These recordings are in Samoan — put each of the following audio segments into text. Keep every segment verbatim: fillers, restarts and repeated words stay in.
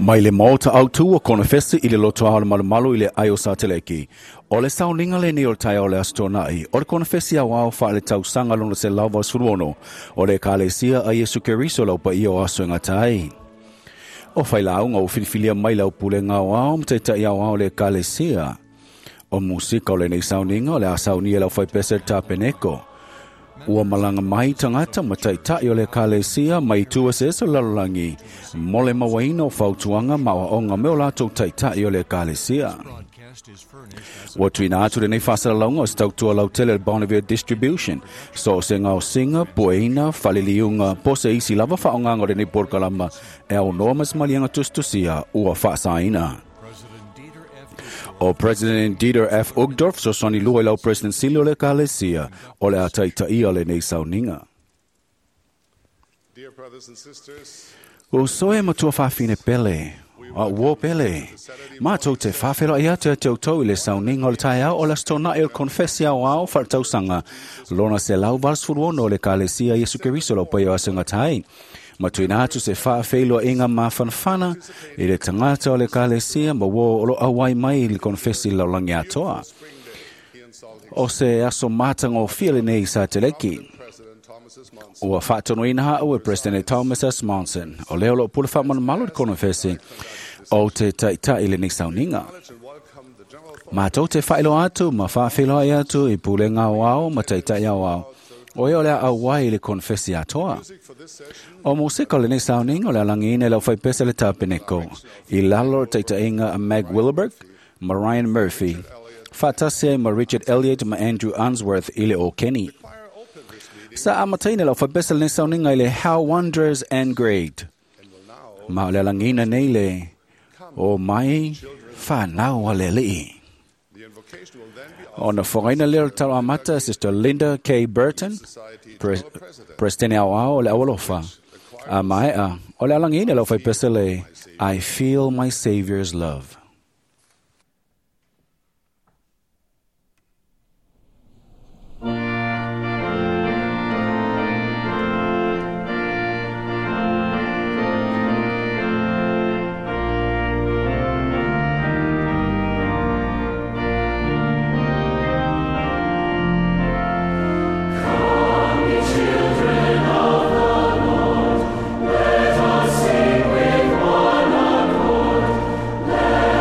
Mai le maota autu o konofesi i le loto ao le malumalu i le ai o Sateleki. O le sauniga lenei o le taeao o le Aso Toonai, o le konofesi aoao faaletausaga lona selau valusefulu ono, o le Ekalesia a Iesu Keriso lau paia o aso e gata ai. O failauga ua filifilia mai le aupulega aoao ma taitai aoao o le Ekalesia. O musika o lenei sauniga o le a saunia e le aufaipese le tapeneko. Ua malaga mai tagata ma taitai o le Ekalesia mai itu eseese o le lalolagi mo le mauaina o fautuaga ma aoaoga me o latou taitai o le Ekalesia. Ua tuuina atu lenei faasalalauga o se tautua lautele le Bonneville Distribution. So o se gaosiga, pueina, faaliliuga, po o se isi lava faaaogaga o lenei polokalama e aunoa ma se maliega tusitusia ua faasaina. O President Dieter F. Uchtdorf, fesoasoani lua i lau President Sili o le Ekalesia, o le a taitaia lenei sauniga. Dear brothers and sisters, Uso e matua faafine pele, a uo pele, matou te faafeiloai atu ia te outou i le sauniga o le taeao o le Aso Toonai o le konofesi aoao faaletausaga lona selau valusefulu ono o le Ekalesia Iesu Keriso lau paia o aso e gata ai. Ma tuuina atu se faafeiloaiga mafanafana i le tagata o le Ekalesia ma uo o lo o auai mai i le konofesi i le lalolagi atoa. here in Salt Lake O se aso matagofie lenei i Sateleki. President Thomas S. Monson. Ua faatonuina haau e President Thomas S. Monson. O lea o loo pule faamalumalu le konofesi o te taitai lenei sauniga. And welcome the General Matou te faailoa atu ma faafeiloai atu i pulega aoao ma taitai aoao. O ea o le a auai i le konofesi atoa. Music for this session O musika o lenei sauniga o le alagiina e le aufaipese le tapeneko. I lalo o le taitaiga a Meg Willerberg ma Ryan Murphy. Faatasi ai ma Richard Elliott ma Andrew Unsworth i le Okeni. choir opened this meeting Sa amataina le aufaipese lenei sauniga i le How Wondrous and Great. and will now Ma o le alagiina nei le o mai whanau a le alii. the invocation will then be Ona fogaina lea o le talo amata Sister Linda K. Burton, Society Pre General President. Presidente aoao o le aualofa. A maea, o le alagiina le aufaipese le I Feel My Savior's Love. Let us sing with one accord. Let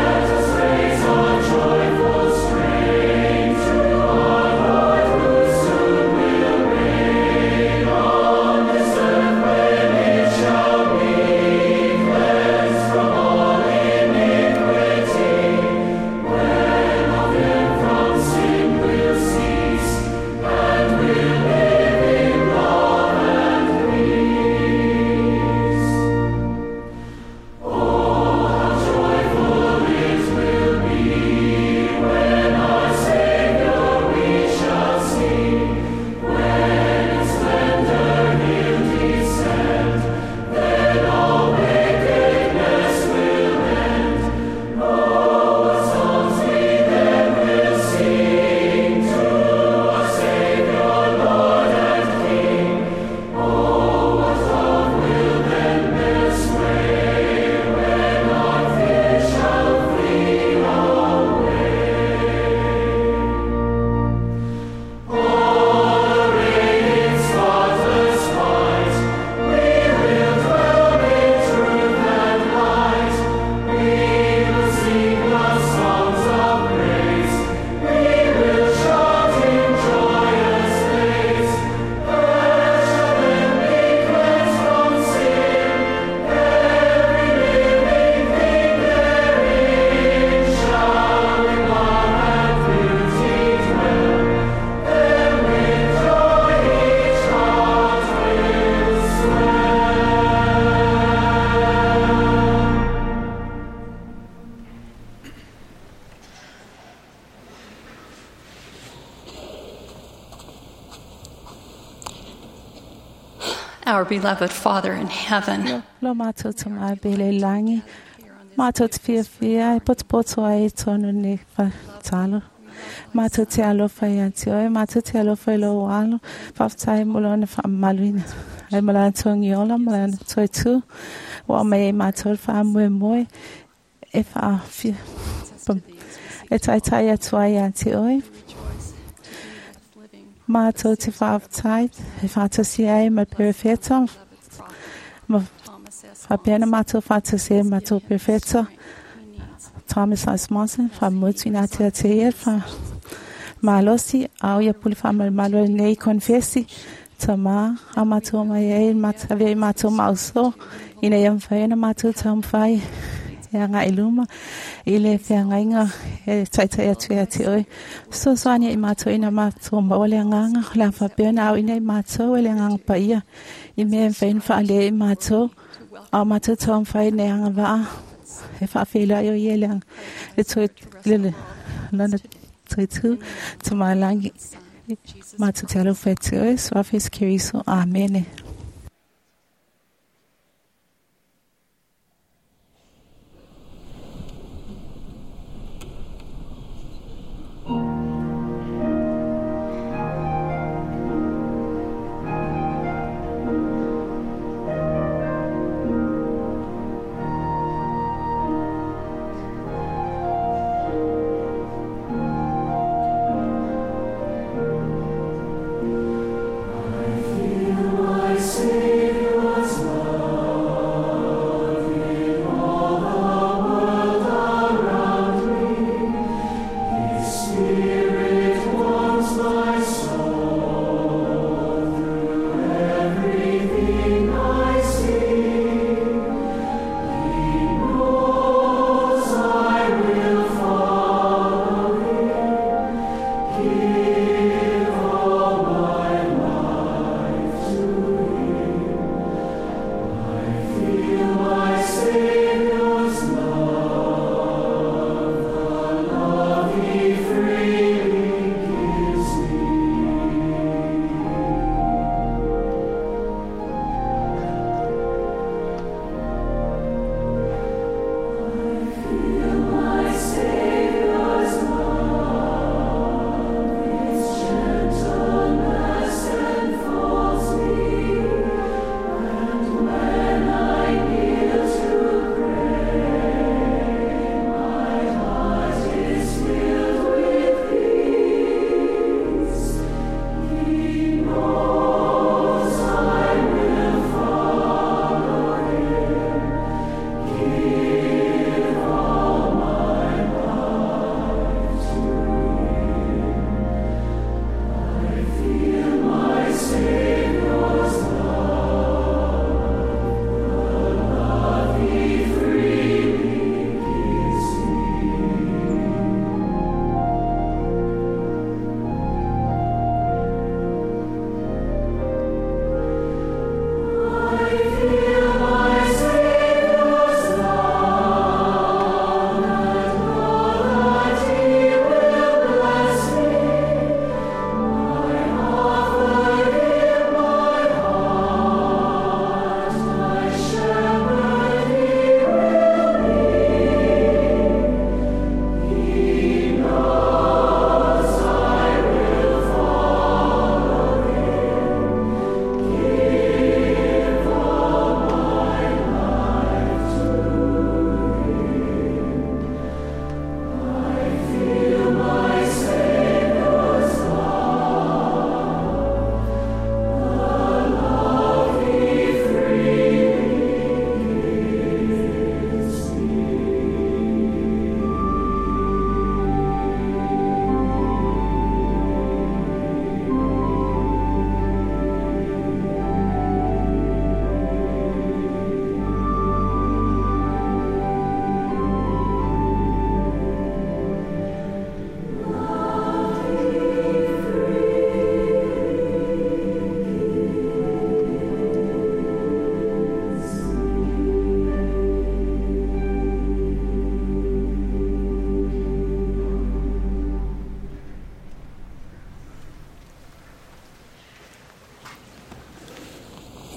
Our beloved Father in heaven, Lo mātou te mai pele langi. Mātou te whiawhia, e potopoto ai tonu ni whatalo. Mātou te alofa i ati oe, mātou te alofa i lo alo, whaftai mo lona whaamaluina. Ai mo lana tuangi ola, mo lana toitu, Ua aumai ai matou le faamoemoe e faafia e taitai atu ai ia te oe. Matou te faafetai e faatasi ai ma le perofeta ma faapea ona matou faatasi ai ma matou perofeta Thomas S. Monson, faamotuina atu ia te ia le malosi a o ia pule faamalumalu ai lenei konefesi tamā a matou mai ai avea i matou maoso ina ia mafai ona matou taumafai e agai i luma i le feagaiga e taitai atu ia te oe. Fesoasoani i matou ina matou maua le agaga o le a faapea ona aoina i matou e le agaga paia i mea e mafai ona faalea i matou a o matou taumafai ina ia agavaa e faafeiloai o ia le le toe le le lona toe tu tamalagi matou te alofa ia te oe Suafa Iesu Keriso. Amene. I feel my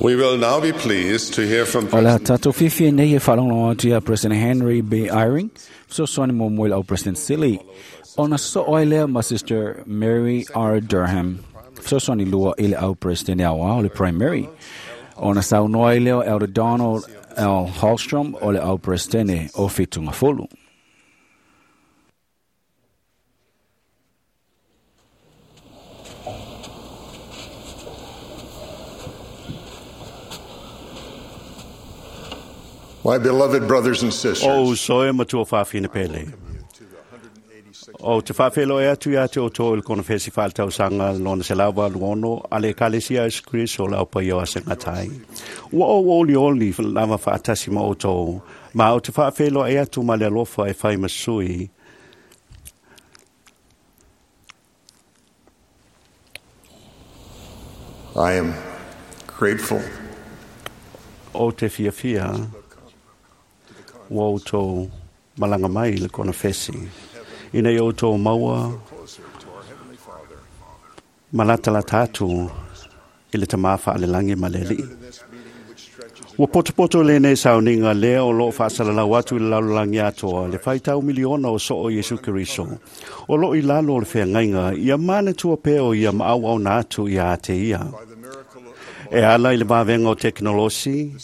We will now be pleased to hear from O le President tatou fiafia nei e faalogologo atu ia President Henry B. Eyring, fesoasoani muamua i le au President Sili, ona soo ai lea ma Sister Mary R. Durham, fesoasoani lua i le au President aoao le Primary, Ona saunoa i leo Elder Donald L. Hallstrom o le au presidente o Fitungafolu. My beloved brothers and sisters, O soe matua whawhina pele. O te whawhelo e atu ia te o tō il konofesi whālitausanga lona se lawa luono a le kalesia Isu Kriso lau pa ia ase ngatai. Ua o oli oli lava whaatasi ma o tō, ma o te whawhelo e atu ma le alofa e whai masui. I am grateful O te fia fia, ua o tō malanga mai le konofesi. Ina i o tō maua malatalata atu i le tamafa ale langi ma le alii. Ua potopoto le nei sauninga lea o loo faasalalau atu i le lalolagi atoa le faitau miliona o soo Iesu Keriso. O loo i lalo o le feagaiga ia manatua pea o ia maauauna atu ia ate ia. E ala i le vavenga o teknolosi,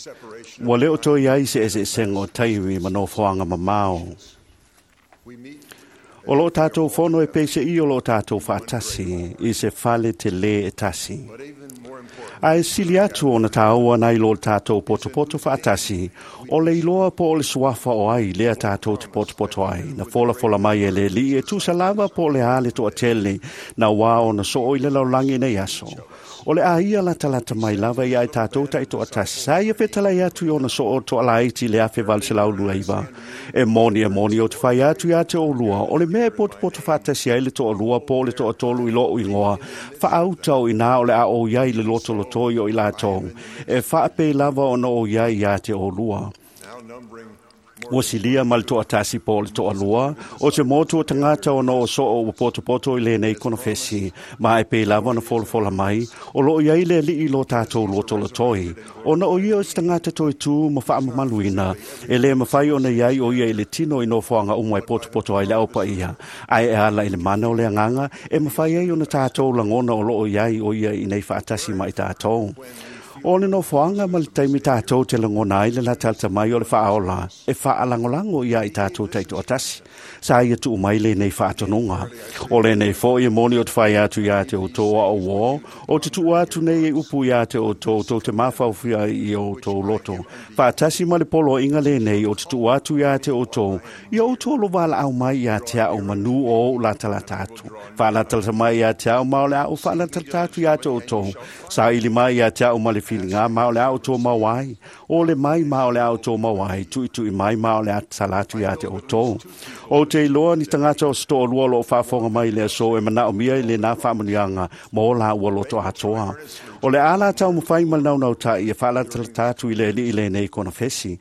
ua leo toi ai se eseesega o taimi ma nofoaga mamao. O loo tātou fono e peise i o loo tātou whaatasi i se fale te le e tasi. A e sili atu o na tāua nei lo tātou potopoto whaatasi, o le iloa po o le suafa o ai lea tātou te potopoto ai, na fola fola mai e le li e tusa lava po o le ale toa tele, na wā o na soo i le laulangi nei aso. O le aia lata lata mai lava ia i tātou tai toa tasi, sa ia fetalai atu i ona soo toa laiti le afe vale se lau lua iwa. E moni e moni o te whai atu ia te o lua, o le mea e potopoto whaatasi ai le toa lua po o le toa tolu i loo ingoa, whaautau i nā o le a o iai le loto lotoi o i lātou, e whaapei lava ona o iai ia te o lua. Ua silia ma le toatasi po o le toalua, o te motu o tangata ona o soo ua potopoto i lenei konofesi, ma e pei lava ona folafola mai, o loo iai le alii lo tātou lotolotoi. Ona o ia o se tagata toe tū ma faamamaluina, e le mawhai ona iai o ia i le tino i nofoaga uma e potopoto ai le aupa ia. Ai e ala i le mana o le anganga, e mawhai ai ona tātou langona o loo iai o ia i nei faatasi mai tātou. O le nofoaga ma le taimi tātou te lagona ai le latalata mai o le faaola e faalangolango ia i tātou taitoatasi. Sa ia tuu mai lenei faatonuga. O lenei foʻi e moni o te fai atu iā te outou a ouō, o te tuu atu nei e upu iā te outou tou te mafaufia i outou loto. Faatasi ma le poloaiga lenei o te tuu atu iā te outou, ia outou lo valaau mai iā te ao manu o ou latalata atu. Faalatalata mai iā te ao ma o le ao faalatalata atu iā te outou. Sa ili mai iā te ao ma le whilinga ma o le ao tō mau ai. O le mai ma o le ao tō mau ai. Tui tui mai ma o le atalatu ia te o tō. O te iloa ni tangata o sto lua lo whaafonga mai le aso e mana o mia i le nā whaamunianga ma o la ua loto atoa. O le ala tau mwhai mal nau nau tai e whaalatalata i le li i le nei kona fesi.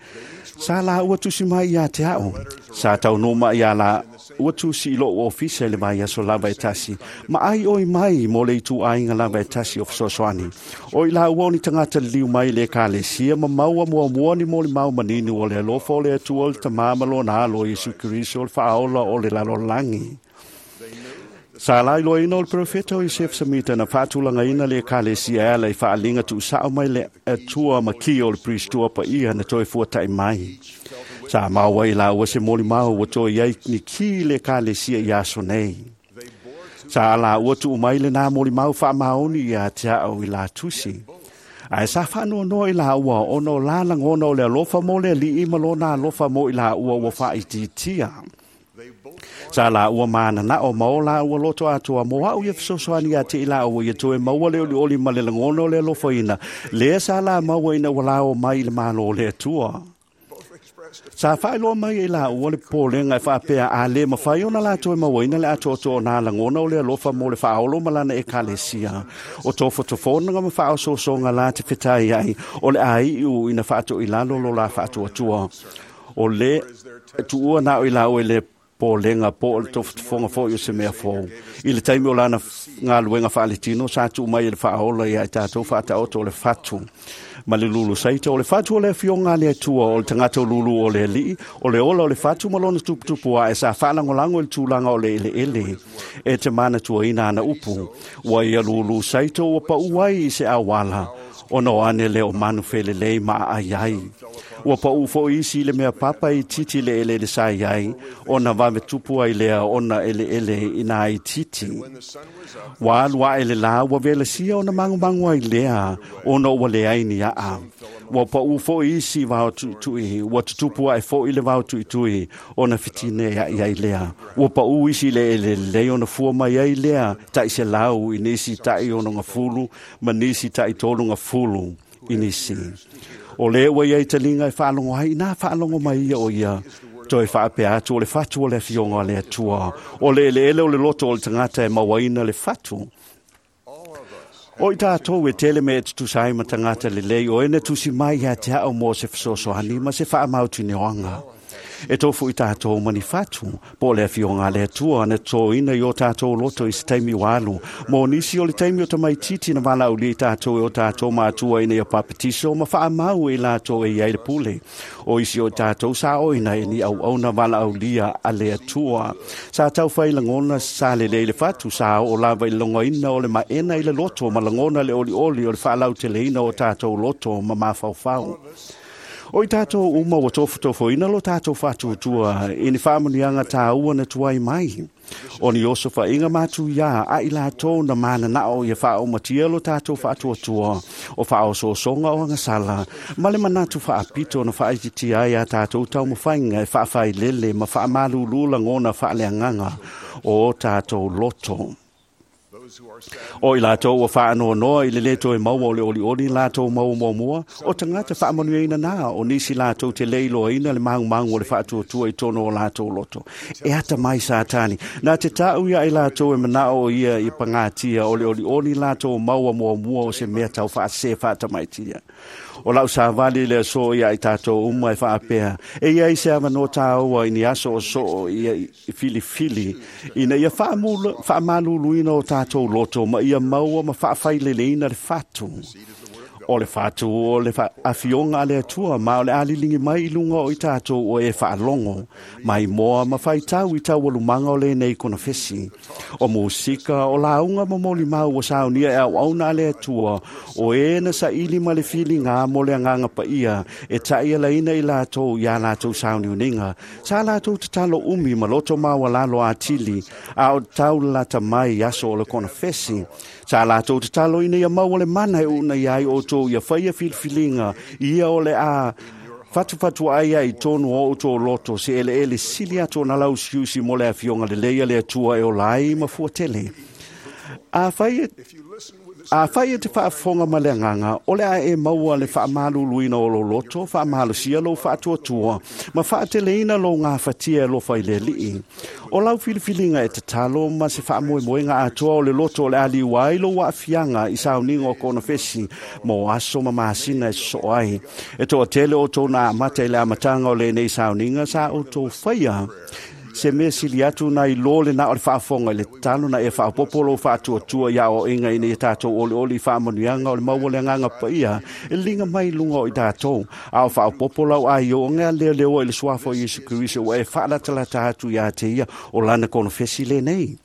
Sa la ua tusi mai ia te ao. Sa tau no mai ia la ua tusi i lo ofisa i le mai aso lava e tasi. Ma ai oi mai mo le itu ainga lava e tasi o fesoasoani. O i la ua ni tangata liu mai le kalesia ma maua mua mua ni mo le mau manini o le alofa o le atua o le tamama lona alo Iesu Keriso o le faaola o le lalolagi. Sa lai loaina o le profeta o Iosef Samita na faatulagaina le ekalesia e ala i faaliga tuusao mai le atua makia o le pristua paia na toe fuataʻi mai. Sa maua i laua se molimau ua toe iai ni ki le ekalesia i aso nei. Sa laua tuu mai lenā molimau faamaoni iā te ao i latusi. Ae sa faanoanoa i laua ona o la lagona o le alofa mo le alii ma lona alofa mo i laua ua faaitiitia. Sa la ua mana na o mao la ua loto atoa mo au ia fesoasoani ia te i la ua ia toe maua le olioli ma le lagona o le alofaina. Lea sa la maua ina ua lao mai i le malo o le Atua. Sa faailoa mai e la ua le popolega e faapea a lē mafai ona latou e mauaina le atoatoa o nā lagona o le alofa mo le faaolo ma lana ekalesia. O tofotofonaga ma faaosoosoga la te fetai ai o le aiu ina faatoilalo lo la faatuatua. O le tuua na o i la o e le polenga po o le tofotofoga foʻi o se mea fou. I le taimi o lana galuega faaletino sa tuu mai e le faaola ia i tatou faataoto o le fatu. Ma le lulu saita o le fatu o le afioga a le Atua o le tagata o lulu o le alii, o le ola o le fatu ma lona tuputupu ae sa faalagolago i le tulaga o le eleele. E te manatuaina ana upu, ua ia lulu saita ua paʻu ai i se auala. Ona o ane le o manu felelei ma ai ai. Ua pau fo isi le mea papa i titi le ele le sai ai, ona vave tupu ai lea ona ele ele ina ai titi. Wa alu ae le la ua vela sia ona mangu mangu ai lea, ona ua le ai ni aa. Ua pau fo isi vao tuitui, ua tutupu ai fo i le vao tuitui, ona fitine ai ai lea. Ua pau isi le ele le ona fua mai ai lea, tai se lau i nisi tai ono ngafulu, ma nisi tai tolu ngafulu i nisi. O le ua iai talinga e whaalongo ai, nā whaalongo mai ia o ia. Toi whaapea atu o le fatu o le afionga le atua. O le ele ele o le loto o le tangata e mauaina le fatu. O i tātou e tele me e tutusai ma tangata le lei o ene tusi mai ia te ao mō se whasosohani ma se whaamautu ni oanga. E tofu i tātou mani fatu, po le afionga le atua na tōina i o tātou loto i se taimi walu. Mō nisi o le taimi o te maititi na wala uli i tātou e o tātou mātua ina ia papatiso ma whaamau e lātou e iai le pule. O isi o tātou sa oina e ni au au na wala aulia a le atua. Sa tau whai langona sa le le le fatu sa o lava i longoina o le maena i le loto ma langona le oli oli o le whaalau te leina o tātou loto ma mawhauwhau. O i tātou uma o tofutofo ina lo tātou whātuatua i ni whāmunianga tāua na tuai mai. O ni osofa inga mātu ia a i lātou na mana nao ia whaomatia lo tātou whātuatua o whaososonga o angasala. Ma le manatu whaapito na whaititia ai a tātou taumawhainga e whaawhai lele ma whaamalulu langona whaaleanganga o tātou loto. O i lātou o whaanoa noa i le leto e maua o le oli oli lātou maua mua mua, o tangata whaamanueina nā o nisi lātou te leiloaina le mangu mangu o le whaatuatua i tono o lātou loto. E ata mai sātani, nā te tāu ia i lātou e manao o ia i pangatia o le oli oli lātou maua mua mua o se mea tau whaase whaatamaitia. O lau sāwali le so ia i tātou uma e whaapea. E ia i se awa no tāua i ni aso o so ia i fili fili. Ina ia whaamaluluina o tātou loto ma ia maua ma whaawhaileleina le whatu. O le whatu o le afionga a le atua ma o le alilingi mai i lunga o i tātou o e whaalongo. Mai moa ma whaitau i tau alumanga o le nei kona fesi. O musika o launga ma moli mau o saunia e au auna a le atua o e na sa ili ma le fili ngā mo le anganga pa ia e taia laina i lātou i a lātou sauniuninga. Sa lātou tatalo umi ma loto maua lalo atili a o tau lata mai aso o le kona fesi. Sa lātou tatalo ina ia maua le mana e una iai o tō ia whaia filfilinga ia o le a fatu fatu ai ai tonu o tō loto se ele ele sili ato na lau siusi mo le afionga le leia le atua e o lai ma fuatele. A whai A whai e te whaafonga ma le anganga, o le a e maua le whaamaluluina o lo loto, whaamalusia lo whaatuatua, ma whaateleina lo ngā whatia lo whaile lii. O lau filifilinga e te talo ma se whaamoemoenga atoa o le loto o le aliuai lo waafianga i sauninga o kona fesi, mo aso ma masina e so ai. E toa tele o tōna amata i le amatanga o le nei sauninga sa o tō whaia. Se mea sili atu nai lole na o le whaafonga i le talo na e whaapopolo whaatuatua ia o inga ina i tātou oli oli whaamanuianga o le maua le anganga paia e linga mai lunga o i tātou. A o whaapopolau ai o ngā leo leo i le suafo Yesu Kristo o e whaalatalata atu ia te ia o lana kono fesi le nei.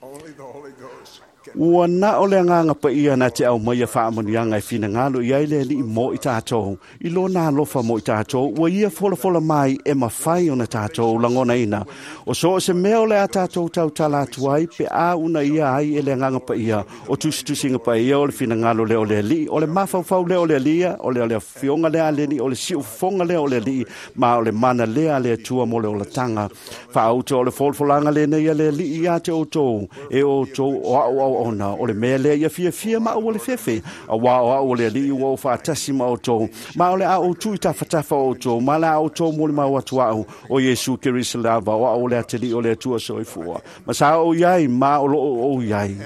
Ua na o le anganga pa ia na te au mai a whaamanuianga e whinangalo i ai le li mo i tātou. I lo nā lofa mo i tātou, ua ia folafola mai e mawhai o na tātou langona ina. O so o se mea o le a tātou tau tala atu ai, pe a una ia ai e le anganga pa ia. O tusitusinga pa ia o le whinangalo le o le li, o le mawhauwhau le o le lia, o le o le fionga le aleni, o le siufonga le o le li, ma o le mana le a le atua mo le o latanga. Whaauto o le folafolanga le nei a le li i a te o tō, e o tō o au au ona o le mea lea ia fiafia ma au o le fefe a wā o au o le alii ua o whaatasi ma o tō ma o le au tui tawhatafa o tō ma le au tō moli mau atu au o Yesu Kristo lava o au o le atili o le atua soifua ma sa o iai ma o loo o iai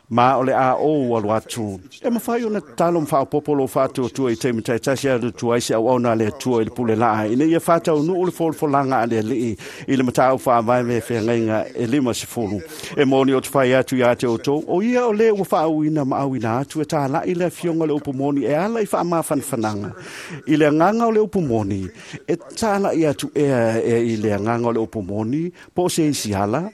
ma o le a o alu atu. E mawhai o na talo mwhaopopolo whātua i te matai tasi atu tuai se au au le atua i le pule laa. Ina ia whātau nuu le folafolanga a le alii i le matau whaavai me whengainga e lima se fulu. E moni o te whai atu i a te o tō, o ia o le ua whaauina ma auina atu e tālai le afionga le upumoni e ala i whaamawhanwhananga. I le anganga o le upumoni, e tālai atu ea e i le anganga o le upumoni, po se isi ala,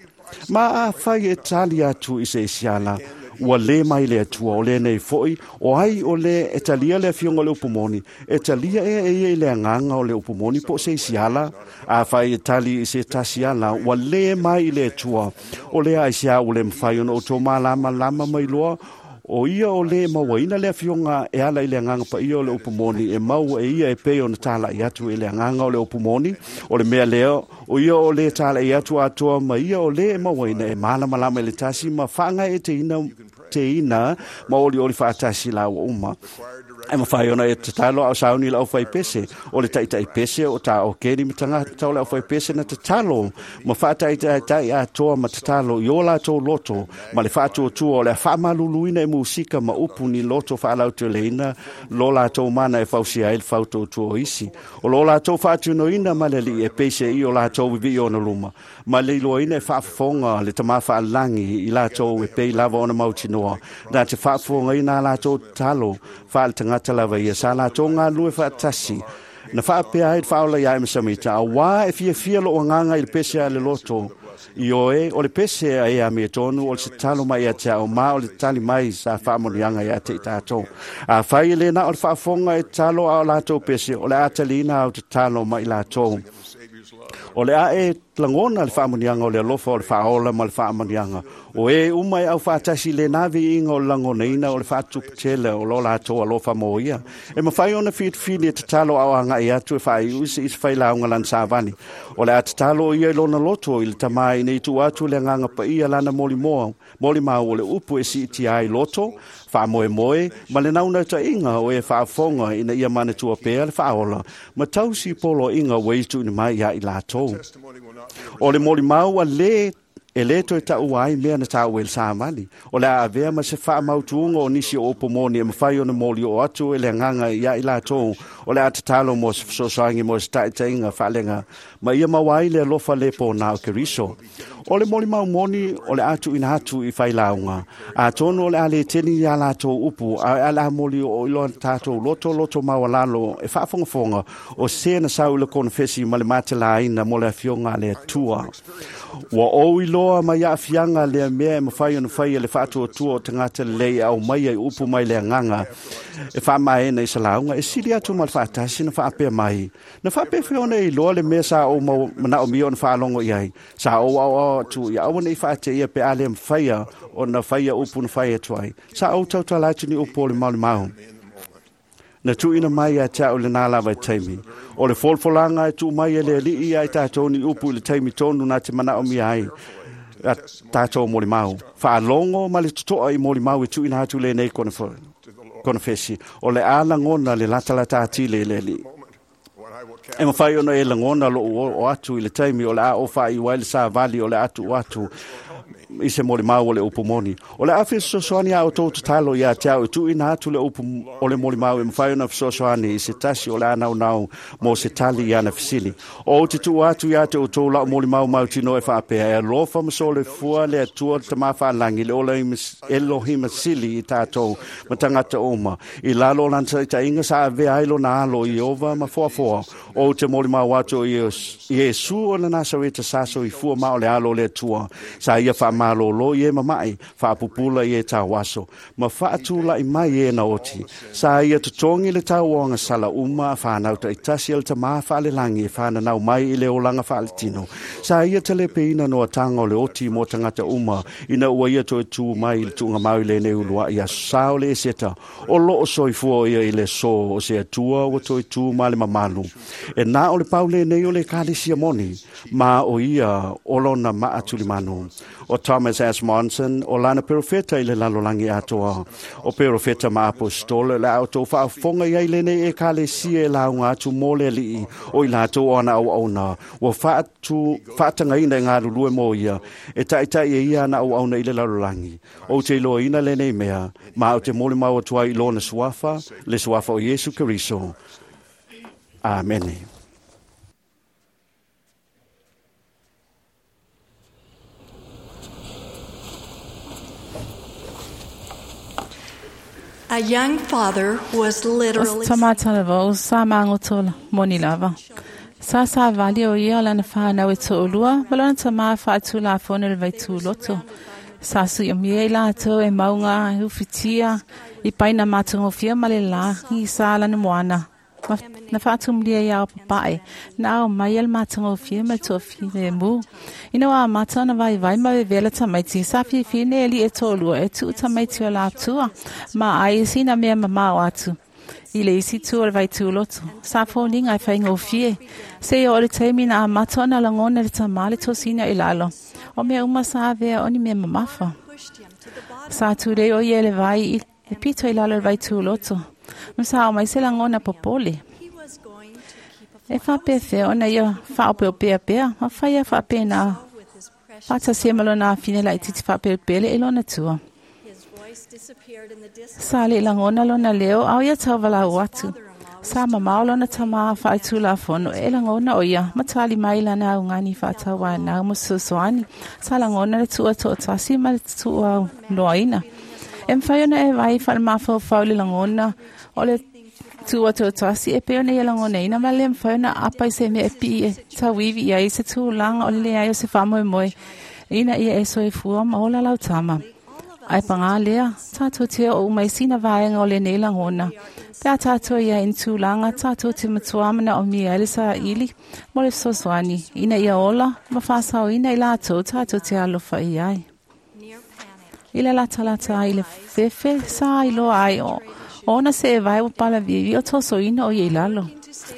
ma a whai e tali atu i se isi ala, Ua le mai le Atua o lenei fo'i, o ai o le e talia le afioga o le upu moni, e talia ea e ia i le agaga o le upu moni po o se isi ala. Afai e tali i se tasi ala, ua le mai i le Atua. O lea aisea ua le mafai ona outou malamalama mai loa, o ia o le mauaina le afioga e ala i le agaga paia o le upu moni, e maua e ia e pei ona tala'i atu i le agaga o le upu moni. O le mea lea, o ia o le tala'i atu atoa ma ia o le e mauaina e malamalama i le tasi ma faagaeeteina teina ma olioli faatasi laua uma. E mafai ona e tatalo ao sauni le aufaipese, o le taitaipese o tā o keni ma tagata o le aufaipese na tatalo ma faataitaitai atoa ma tatalo i o latou loto ma le faatuatua o le faamaluluina e musika ma upu ni loto faalauteleina lo latou mana e fausia ai le fautuatua o isi. O lo latou faatinoina ma le alii e peise i o latou vivii ona luma, ma le iloaina e faafofoga le tamā faalagi i latou e pei lava ona mautinoa, na te faafofogaina a latou tatalo faale tagata lava ia sa latou galulue faatasi na faapea ai le faaola ia e masamita auā e fiafia lou agaga i le pese a le loto i oe o le pese a e amiotonu o le tatalo mai ia te a'u ma o le tali mai sa faamanuiaga ia te i tatou. Afai e lē na o le faafofoga e tatalo a o latou pese, o le a taliina au tatalo ma i latou. O le a e lagona le faamanuiaga o le alofa o le faaola ma le faamanuiaga. O e uma e aufaatasi i lena viiga o le lagonaina o le faatuputele o lo latou alofa mo ia. E mafai ona filifili e tatalo ao aga'i atu e faaiu i se isi failauga lana savali. O le a tatalo ia i lona loto i le tamā ina i tuu atu le agaga paia lana molimoa, molimau o le upu e siitia ai loto, faamoemoe ma le naunautaiga o e faafofoga ina ia manatua pea le faaola ma tausi poloaiga ua i tuuina mai ia i latou. O le molimau a lē e lē toe taʻua ai mea na taua i le savali. O le a avea ma se faamautuga o nisi o upu moni e mafai ona molioo atu e le agaga ia i latou o le a tatalo mo se fesoasoani mo se taʻitaʻiga faaleaga ma ia maua ai le alofa lē pōnā o Keriso. O le molimau moni o le a tuuina atu i failauga. Atonu o le a lē teni iā latou upu, ae a le a molioo i loa tatou loto loto maualalo e faafogafoga o se na sau i le konefesi ma le matalāina mo le afioga a le Atua. Ua ou iloa mai aafiaga lea mea e mafai ona faia le faatuatua o tagata lelei e aumaia i upu mai le agaga e faamaena i salauga e sili atu ma le faatasi na faapea mai. Na faapefea ona e iloa le mea sa ou manaomia ona faalogo i ai. Sa ou aoao atu ia aua nei faateia pe a le mafaia ona faia upu na fai atu ai. Sa ou tautala atu ni upu o le malimau na tuuina mai ia te a'u lenā lava i taimi. O le folafolaga e tuu mai e le Alii ia i tatou ni upu i le taimi tonu na te manaomia ai a tatou molimau. Faalogo ma le totoa i molimau e tuuina atu lenei konefesi. O le a lagona le latalata atili i le Alii. E mafai ona e lagona lou oo atu i le taimi o le a ou faaiu ai le savali o le a tuu atu i se molimau o le upu moni. O le a fesoasoani a outou tatalo ia te au e tuuina atu le upu o le molimau e mafai ona fesoasoani i se tasi o le a naunau mo se tali i ana fesili. O ou te tuu atu ia te outou la'u molimau mautinoa e faapea e alofa ma soifua le Atua le Tamā faalagi le ola Elohima sili i tatou ma tagata uma. I lalo o lana taʻitaʻiga sa avea ai lona alo i Ieova ma foafoa. O ou te molimau atu i Iesu o le Nasareta sa soifua ma o le alo o le Atua. Sa ia faamalōlō i e mamaʻi, faapupula i e tauaso, ma faatulaʻi mai e na oti. Sa ia totogi le tauoaga sala uma a fanau taʻitasi a le tamā faalelagi e fananau mai i le olaga faaletino. Sa ia talepeina noataga o le oti mo tagata uma ina ua ia toe tū mai i le tuugamau i lenei uluaʻi aso sa o le Eseta. O loo soifua ia i le sō o se Atua ua toe tū ma le mamalu. E na o le pau lenei o le ekalesia moni, ma o ia o lona maatulimanu. O Thomas S. Monson, o lana perofeta i le lalolagi atoa. O perofeta ma apostola le a outou faafofoga i ai lenei ekalesia e lauga atu mo le Alii o i latou o ana auauna. Ua faatu, faatagaina e galulue mo ia, e taʻitaʻi e ia ana auauna i le lalolagi. Ou te iloaina lenei mea, ma ou te molimau atu ai i lona suafa, le suafa o Iesu Keriso. Amene. A young father was literally Tomatala sa mangotola moni lava. Sa savali o ia o lana whanau e to'olua, ma lona tamā faatulafono le vaituloto. Sa suiomia i latou e mauga e ufitia i paina matagofie ma le lagi sa lana moana. Ma na faatumulia ia o papae, na ao mai le matagofie ma le toafilemu. Ina ua amata ona vaivai ma vevela tamaiti, sa fiafia nei alii e toalua e tuu tamaiti o latua, ma ai sina mea mamao atu i le isi tu o le vaituloto. Sa foliga e faigofie, seia oo i le taimi na amata ona lagona le tamā le tosina i lalo. O mea uma sa avea o ni mea mamafa. Sa tulei o ia i le vai i le pito i lalo o le vaituloto. Ma sa ao mai se lagona popole. E faapefea ona ia faaopeopea pea, ma faia faapena faatasia ma lona afine laitiiti faapelepele i lona tua. Sa le lagona lona leo ao ia tauvalau atu. Sa mamao lona tamā faaletulafono e lagona o ia ma tali mai lana augani faatauanau ma fesoasoani. Sa lagona le tuua toatasi ma le tuuaunoaina. E mafai ona e vai faalemafaufau i le lagona o le tuua toatasi e pei ona ia lagonaina ma le mafai ona apa i se mea e pii e tauivi i ai se tulaga o le leai o se faamoemoe ina ia e soifua ma ola lau tama. Ae pagā lea, tātou te oo uma i sina vaega o lenei lagona. Pe a tātou ia i ni tulaga, tātou te matua manaomia ai le saili mo le fesoasoani, ina ia ola ma faasaoina i latou tātou te alofa i ai. I le latalata ai i le fefe, sa iloa ai o ona se e vai ua palavivi o tosoina o ia i lalo.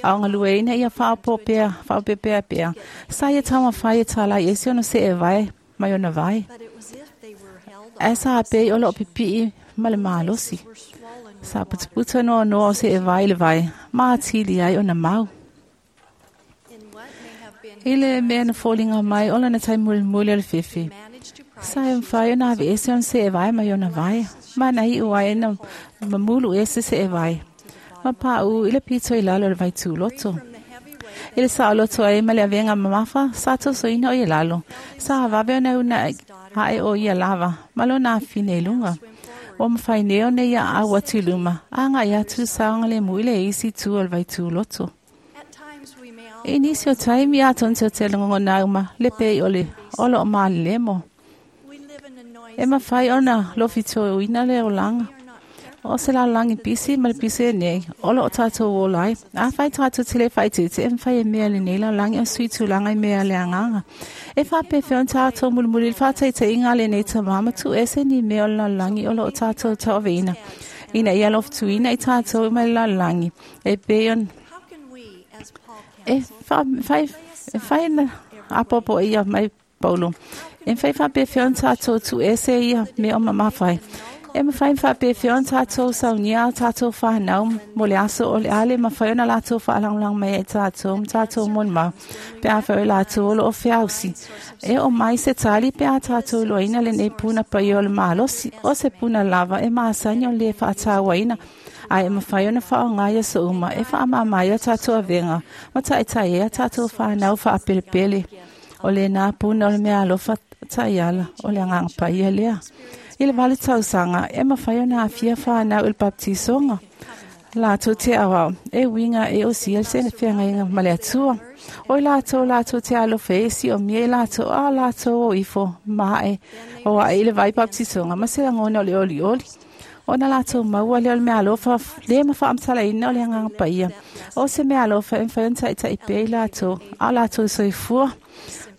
A o galueina ia faaopopea, faaopepea pea. Sa ia taumafai e talai ese ona se e vai mai ona vai. Ae sa pei o loo pipii ma le malosi. Sa putaputa noanoa o se e vai i le vai, ma atili ai ona mau. I le mea na foliga mai o lana taimi mulimuli o le fefe. Sa e mafai ona aveese ona seevai mai ona vai, ma na iu ai na mamulu ese seevai. Ma paʻu i le pito i lalo o le vaituloto. I le saoloto ai ma le avega mamafa, sa tosoina o ia lalo. Sa vave ona una ae o ia lava, ma lona afine i luga. Ua mafai nei ona ia au atu i luma, agai atu le saogalemu i le isi itu o le vaituloto. I nisi o taimi atonu te o te lagona uma le pei o le o loo malelemo. E mafai ona lofitoina le olaga. O se lalolagi pisi ma le pisi lenei, o loo tatou ola ai. Afai tatou te le faaeteete, e mafai e mea lenei lalolagi o sui tulaga i mea le agaga. E faapefea ona tatou mulimuli i le faataitaiga a lenei tamā ma tuuese ni mea o le lalolagi o loo tatou tauaveina, ina ia lofituina i tatou mai le lalolagi. E pei ona e fai e fai na apoapo ia mai Paulo. E mafai faapefea ona tatou tuuese ia mea o mamafai. E mafai faapefea ona tatou saunia a tatou whanau mo le aso o le ale mafai ona latou faalagolago mai ai tatou ma tatou molimau pe afai o latou o loo feausi. E oo mai se tali pe a tatou iloaina lenei puna paia o le malosi, o se puna lava e masani ona le faatauaina, ae e mafai ona faaaoga i aso uma e faamama ai o tatou avega ma taitai ai a tatou whanau faapelepele. O lena puna o le mea alofa taiala o le agaga paia lea. I le vale tausaga e mafai ona aafia whanau i le baptisoga. Latou te auau, e uiga e osia le feagaiga ma le Atua. O i latou latou te alofa e siomia i latou a latou o ifo ma ae o ae i le vai baptisoga ma se lagona o le olioli. Ona latou maua lea o le mea alofa le ma faamatalaina o le agaga paia. O se mea alofa e mafai ona taitai pea i latou, a o latou soifua.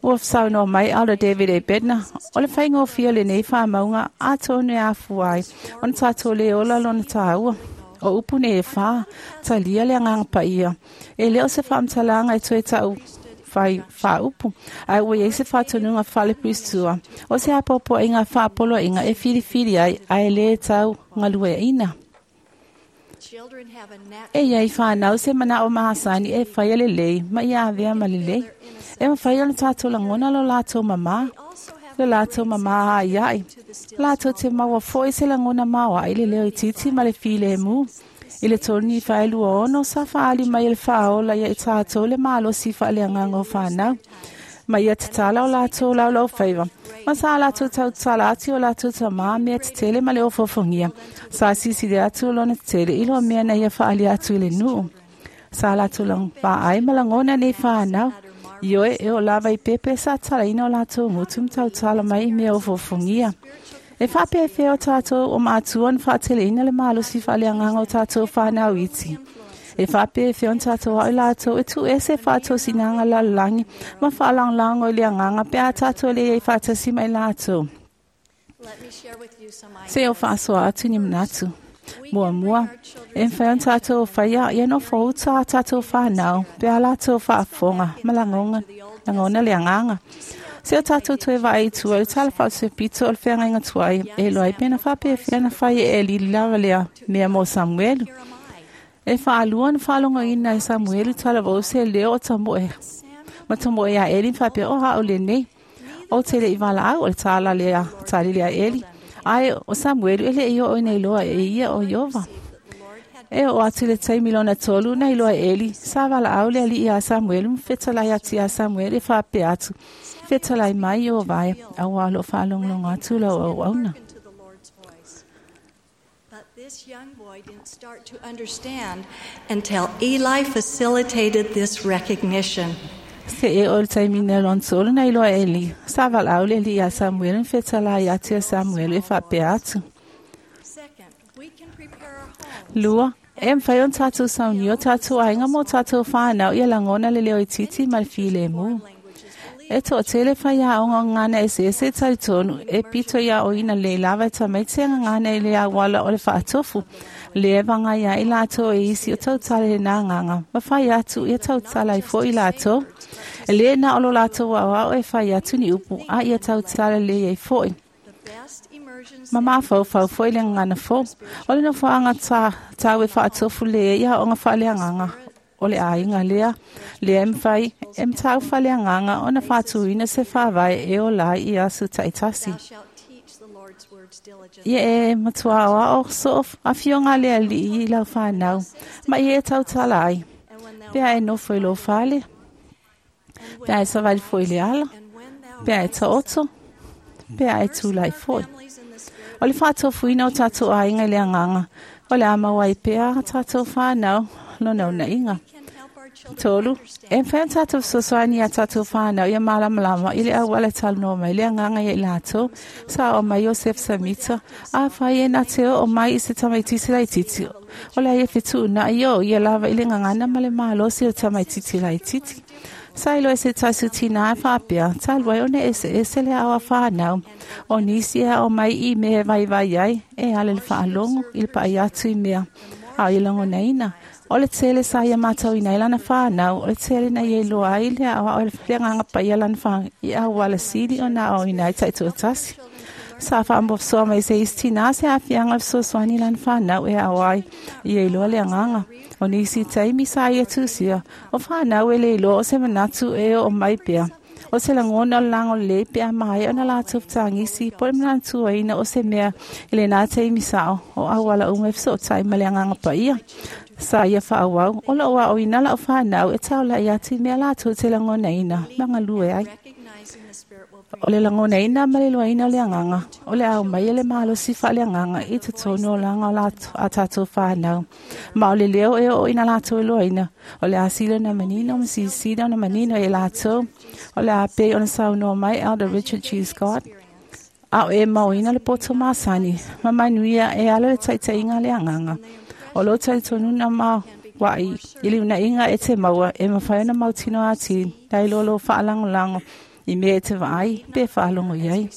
Ua saunoa mai Elder David A. Bednar, o le faigofie o lenei faamauga atonu e afua ai ona tatou le ola lona taua. O upu nei e whā, talia le agaga paia. E le o se faamatalaga e toe tau fai faaupu, ae ua iai se faatonuga faalepuisitua. O se apoapoaiga faapoloaiga e filifili ai, ae le tau galueaina. E iai whanau se manao mahasani e whaia lelei, ma ia avea ma lelei. E mafai ona tatou lagona lo latou mamā, lo latou mamā aiai. Latou te maua foi se lagona maoaʻi le leo itiiti ma le filemu. I le tolu nifa e lua ono sa faali mai e le faaola ia i tatou le malosi faaleagaga o whanau. Ma ia tatala o latou laulau faiva. Ma sa latou tautala atu o latou tamā mea tetele ma le ofofogia. Sa sisili atu o lona tetele i loa mea na ia faali atu i le nuu. Sa latou lang vaai ma lagona nei whanau. Ioe e o lava i pepe sa talaina o latou gutu ma tautala mai i mea o fofogia. E faapefea o tatou o matua ona faateleina le malosi faaleagaga o tatou fanau iti. E faapefea ona tatou ao i latou e tuuese faatosinaga lalolagi ma faalagolago i le agaga pe a tatou le iai faatasi mai latou. Se o faasoa atu ni manatu. Muamua, e mafai ona tatou faia ia nofouta a tatou fanau pe a latou faafofoga ma lagoga lagona le agaga. Se o tatou toe vaai i tua i le tala faaosepito o le feagaiga tuai e iloa ai pe na faapefea na fai e Eli le lava lea mea mo Samuelu. E faalua ona faalogoina e Samuelu talavou se leo o tamoe ma tamoe ia Eli ma faapea o au lenei. O te le i valaau o le tala lea tali lea Eli. Ae o Samuelu e le i oo ina iloa e ia o Iova. E oo atu le taimi lona tolu na iloa e Eli, sa valaau le alii ia Samuelu ma fetalai atu ia Samuelu e faapea atu, fetalai mai Iova e, auā o loo faalogologo atu lau auauna. But this young boy didn't start to understand until Eli facilitated this recognition. Se e o le taimi na lona tolu na iloa e Eli, sa valaau le alii ia Samuelu ma fetalai atu ia Samuelu e faapea atu. Second, we can prepare our homes. Lua, e mafai ona tatou saunia o tatou aiga mo tatou fanau ia lagona le leo itiiti ma le filemu. E toatele faiaoga o gagana eseese e talitonu e pito ia oina lē lava e tamaiti e gagana i le auala o le faatofu. Lea e vagai ai latou e isi o tautala i lena agaga ma fai atu ia tautala ai foʻi latou. E lē na o lo latou aoao e fai atu ni upu a ia tautala lelei ai foʻi. The best immersion Ma mafaufau foʻi le gagana fou. O le nofoaga ta, tau e faatofu lē i aoga faaleagaga o le aiga lea, lea e mafai e matau faaleagaga ona faatuina se faavae e ola ai i aso taitasi. Thou shalt teach the Lord's words diligently. Ia e matua aoao soo afioga a le alii i lau fanau, ma ia e tautala ai. And when thou Pe a e nofo i lou fale, and pe a e when savali foʻi i le ala, and when thou pe a e risest taoto, pe a e up. tulai Immersing our foʻi. families in the spirit O le faatofuina o tatou aiga i le agaga, o le a maua ai pea a tatou fanau lona unaiga. can help our children Tolu, e understand mafai ona tatou fesoasoani ia tatou fanau ia malamalama i le auala e talanoa mai le agaga ia i latou, sa o mai Iosef Samita, a fai e na te oo mai i se tamaititi laititi. O le ai e fetuunai o ia lava i le gagana ma le malosi o le tamaititi laititi. Sa iloa e se tasi o tinā e faapea, talu ai ona eseese le ao a fanau. O nisi e ao mai i mea e vaivai ai, e ala i le faalogo i le paai atu i mea. A o ia lagonaina, o le tele sa ia matauina ai lana fanau, o le tele na ia iloa ai le aoao e le agaga paia lana fa i auala sili ona aoina ai taitoatasi. Sa faamofosoa mai se isi tinā se aafiaga o le fesoasoani lana fanau e ao ai ia iloa le agaga. O nisi taimi sa ia tusia, o fanau e le iloa o se manatu e oo mai pea. O se lagona o le lagolelei pe a maea ona latou fetagisi po o le manatuaina o se mea i lenā taimi sao o auala uma e fesootai ma le agaga paia. Sa ia faaauau o loo aoina lau fanau e taulai atu i mea latou te lagonaina ma galue ai. recognizing the Spirit will bring O le lagonaina ma le iloaina o le agaga, o le ao mai e le malosi faaleagaga i totonu o laga o latou a tatou fanau. Ma o le leo e oo ina latou iloaina, o le a sili ona manino ma silisili ona manino e latou. O le a pei ona saunoa mai Elder Richard G. Scott, a o e maoina le poto masani, ma manuia e ala le taitaiga a le agaga. O lo talitonuna ma waai i le unaiga e te maua e mafai ona mautino atili nai lo lo faalagolago i mea e te vaai pe faalogo i ai.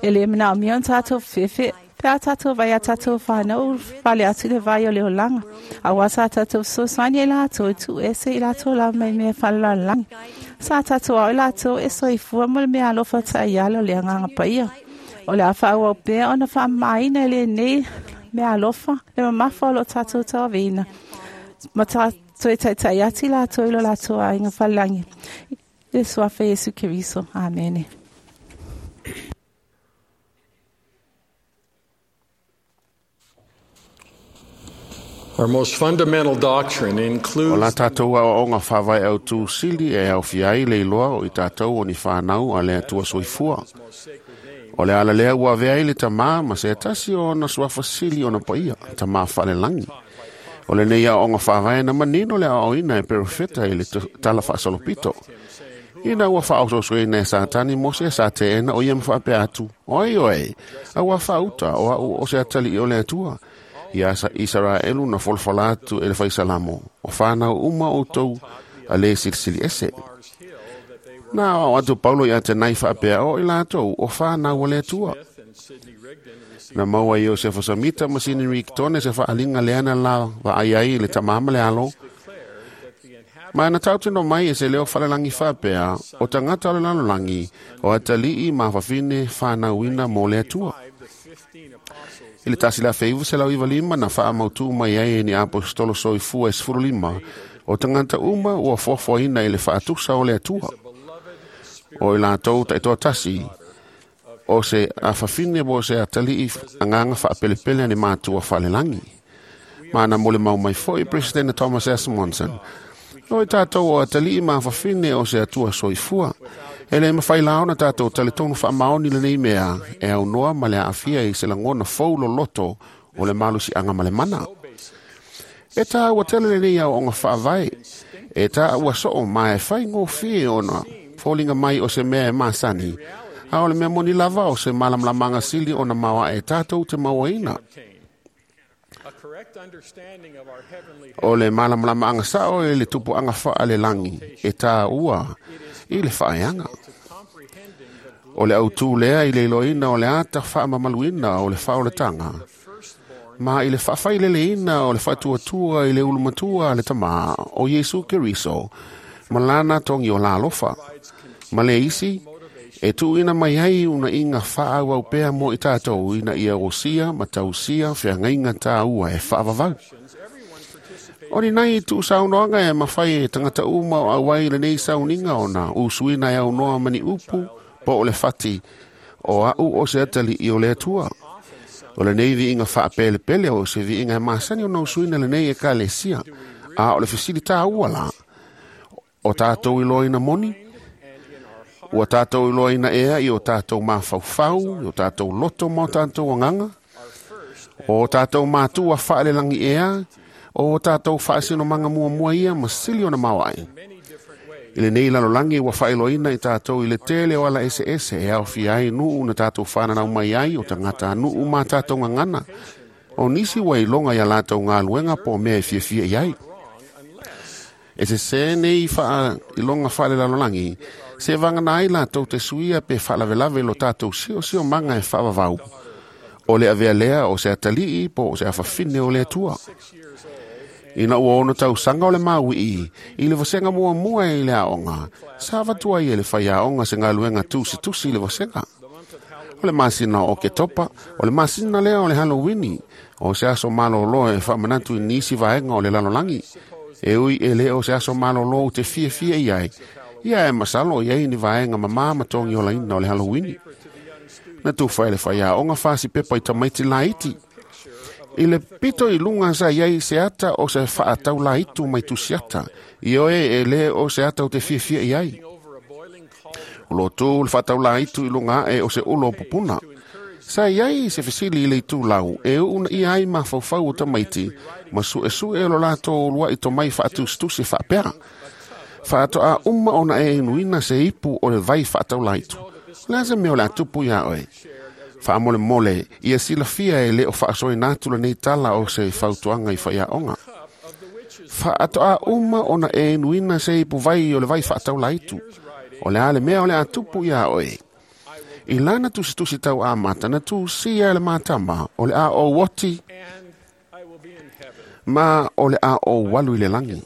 E le manaomia ona tatou fefe pe a tatou vai a tatou fanau fale atu i le vai o le olaga. Auā sa tatou fesoasoani ai latou e tuuese i latou lava mai mea faalelalelagi. Sa tatou ao i latou e soifua mo le mea alofa taiala o le agaga paia. O le a faaauau pea ona faamamaina i lenei mea alofa le mamafa o loo tatou tauaveina. Ma tatou e taitai atu i latou i lo latou aiga falelagi. I le suafa Iesu Keriso. Amene. Our most fundamental doctrine O la includes tātou aoaoga faavae au tū sili e aofia ai le iloa o i tātou o ni whanau a le Atua soifua. O le ala lea ua avea ai le tamā ma se tasi o ona suafa sili ona paia, tamā whalelangi. O lenei aoaoga faavae na manino le aoaoina e perofeta i le tala faasolopito. Ina ua faaososoina e Satani Mose sa teena o ia ma faapea atu, oi oe, a ua faauta o au o se atalii o le Atua. Ia sa Isaraelu na folafola atu e le faisalamo, o whanau uma o tou a le silisili ese. Na o atu Paulo ia te nai faapea o i latou o whanau o le Atua. Na maua Iosefa Samita ma Sini Riktone se whaalinga leana la vaai ai le tamama le alo. Ma na tautino mai e se leo whalelangi whapea o tangata o le lalolangi o atalii ma whawhine whanauina mō le Atua. I le tasi la feivu se lau iwa lima na whaamautu mai ai e ni apostolo soifua e sefulu lima o tangata uma ua fuafuaina i le whaatusa o le Atua. O i latou taitoa tasi o se awhawhine mo se atalii anganga whaapelepele ane mātua whalelangi. Mana mole mau mai foi President Thomas S. Monson. O i tātou o atalii ma awhawhine o se atua soifua. E le mawhai laona tātou taletonu whaamaoni le nei mea e au noa ma le aafia i se langona faulo loto o le malusi anga ma le mana. E tā ua tele le nei au onga whaavae. E tā ua soo ma e whai ngōwhie ona fōlinga mai o se mea e māsani. A o le mea moni lava o se malamlamanga sili o na maua e tātou te mauaina. O le malamlamanga sao e le tupu anga whaa le langi e tā ua i le whaeanga. O le autu lea i le iloina o le ata whaa mamaluina o le whaoletanga. Ma i le whaawhaileleina o le whaatuatua i le ulumatua le tama o Yesu Keriso ma lana tongi o la alofa. Ma le isi, e tuuina mai ai una inga whaau au pea mo i tātou ina ia osia ma tausia whiangainga tāua e whaavavau. O ni nei tu saunoanga e mawhai e tangata uma o awai le nei sauninga o nā usuina e au noa mani upu po o le whati o au o se atali i o le Atua. O le nei viinga whaapelepele o se viinga e masani o na usuina le nei e kalesia a o le fisili tāua la. O tātou iloina moni, ua tātou iloina ea i o tātou mawhauwhau, i o tātou loto ma o tātou anganga, o tātou mātua whaalelangi ea, o tātou whaasino manga mua mua ia ma sili o na mawai. I le nei lalolangi ua whaeloina i tātou i le tele o ala ese ese e au ai nuu na tātou whananau mai ai o tangata nuu mā tātou ngangana. O nisi ua ilonga ia lātou ngā luenga po mea e fiafia i ai. E se se nei wha ilonga whaale lalolangi, se vangana ai lātou te suia pe whaalavelave lo tātou sio sio manga e whaavavau. O le avea lea o se atalii po o se awhawhine o le Atua. Ina ua ono tau sanga o le maui i, i le vasenga mua mua i le aonga, sa vatua i e le whai aonga se ngā luenga tusi tusi i le vasenga. O le masina o ke topa, o le masina lea o le Halloweeni, o se aso malolo e whaamanatu i nisi vaenga o le lalolangi. E ui e le o se aso malolo u te fia fia i ai, ia e masalo i ai ni vaenga mamā matongi o laina o le Halloweeni. Na tuwha e le whai aonga whasi pepa i tamaiti laiti. I le pito i lunga sa iai se ata o se whaatau la itu mai tusiata. I oe e le o se ata o te fiafia i ai. O lo tū le whaatau la itu i lunga e o se ulo o pupuna. Sa iai se fisili i le itu lau e una i ai ma whauwhau o tamaiti ma su e su e lo lato lua i tomai whaatustusi whaapera. Whaato a uma ona e inuina se ipu o le vai whaatau la itu. Le ase meo le atupu ia oe. Whaamole mole, ia silafia e le o whaasoi nātula nei tala o se whautuanga i whaiaonga. Whaato a uma ona e nuina se ipu vai o le vai whaatau laitu. O le ale mea o le atupu ia oe. I lana tusi tusi tau a mata na tu sia le mātama o le a o woti ma o le a o walu i le langi.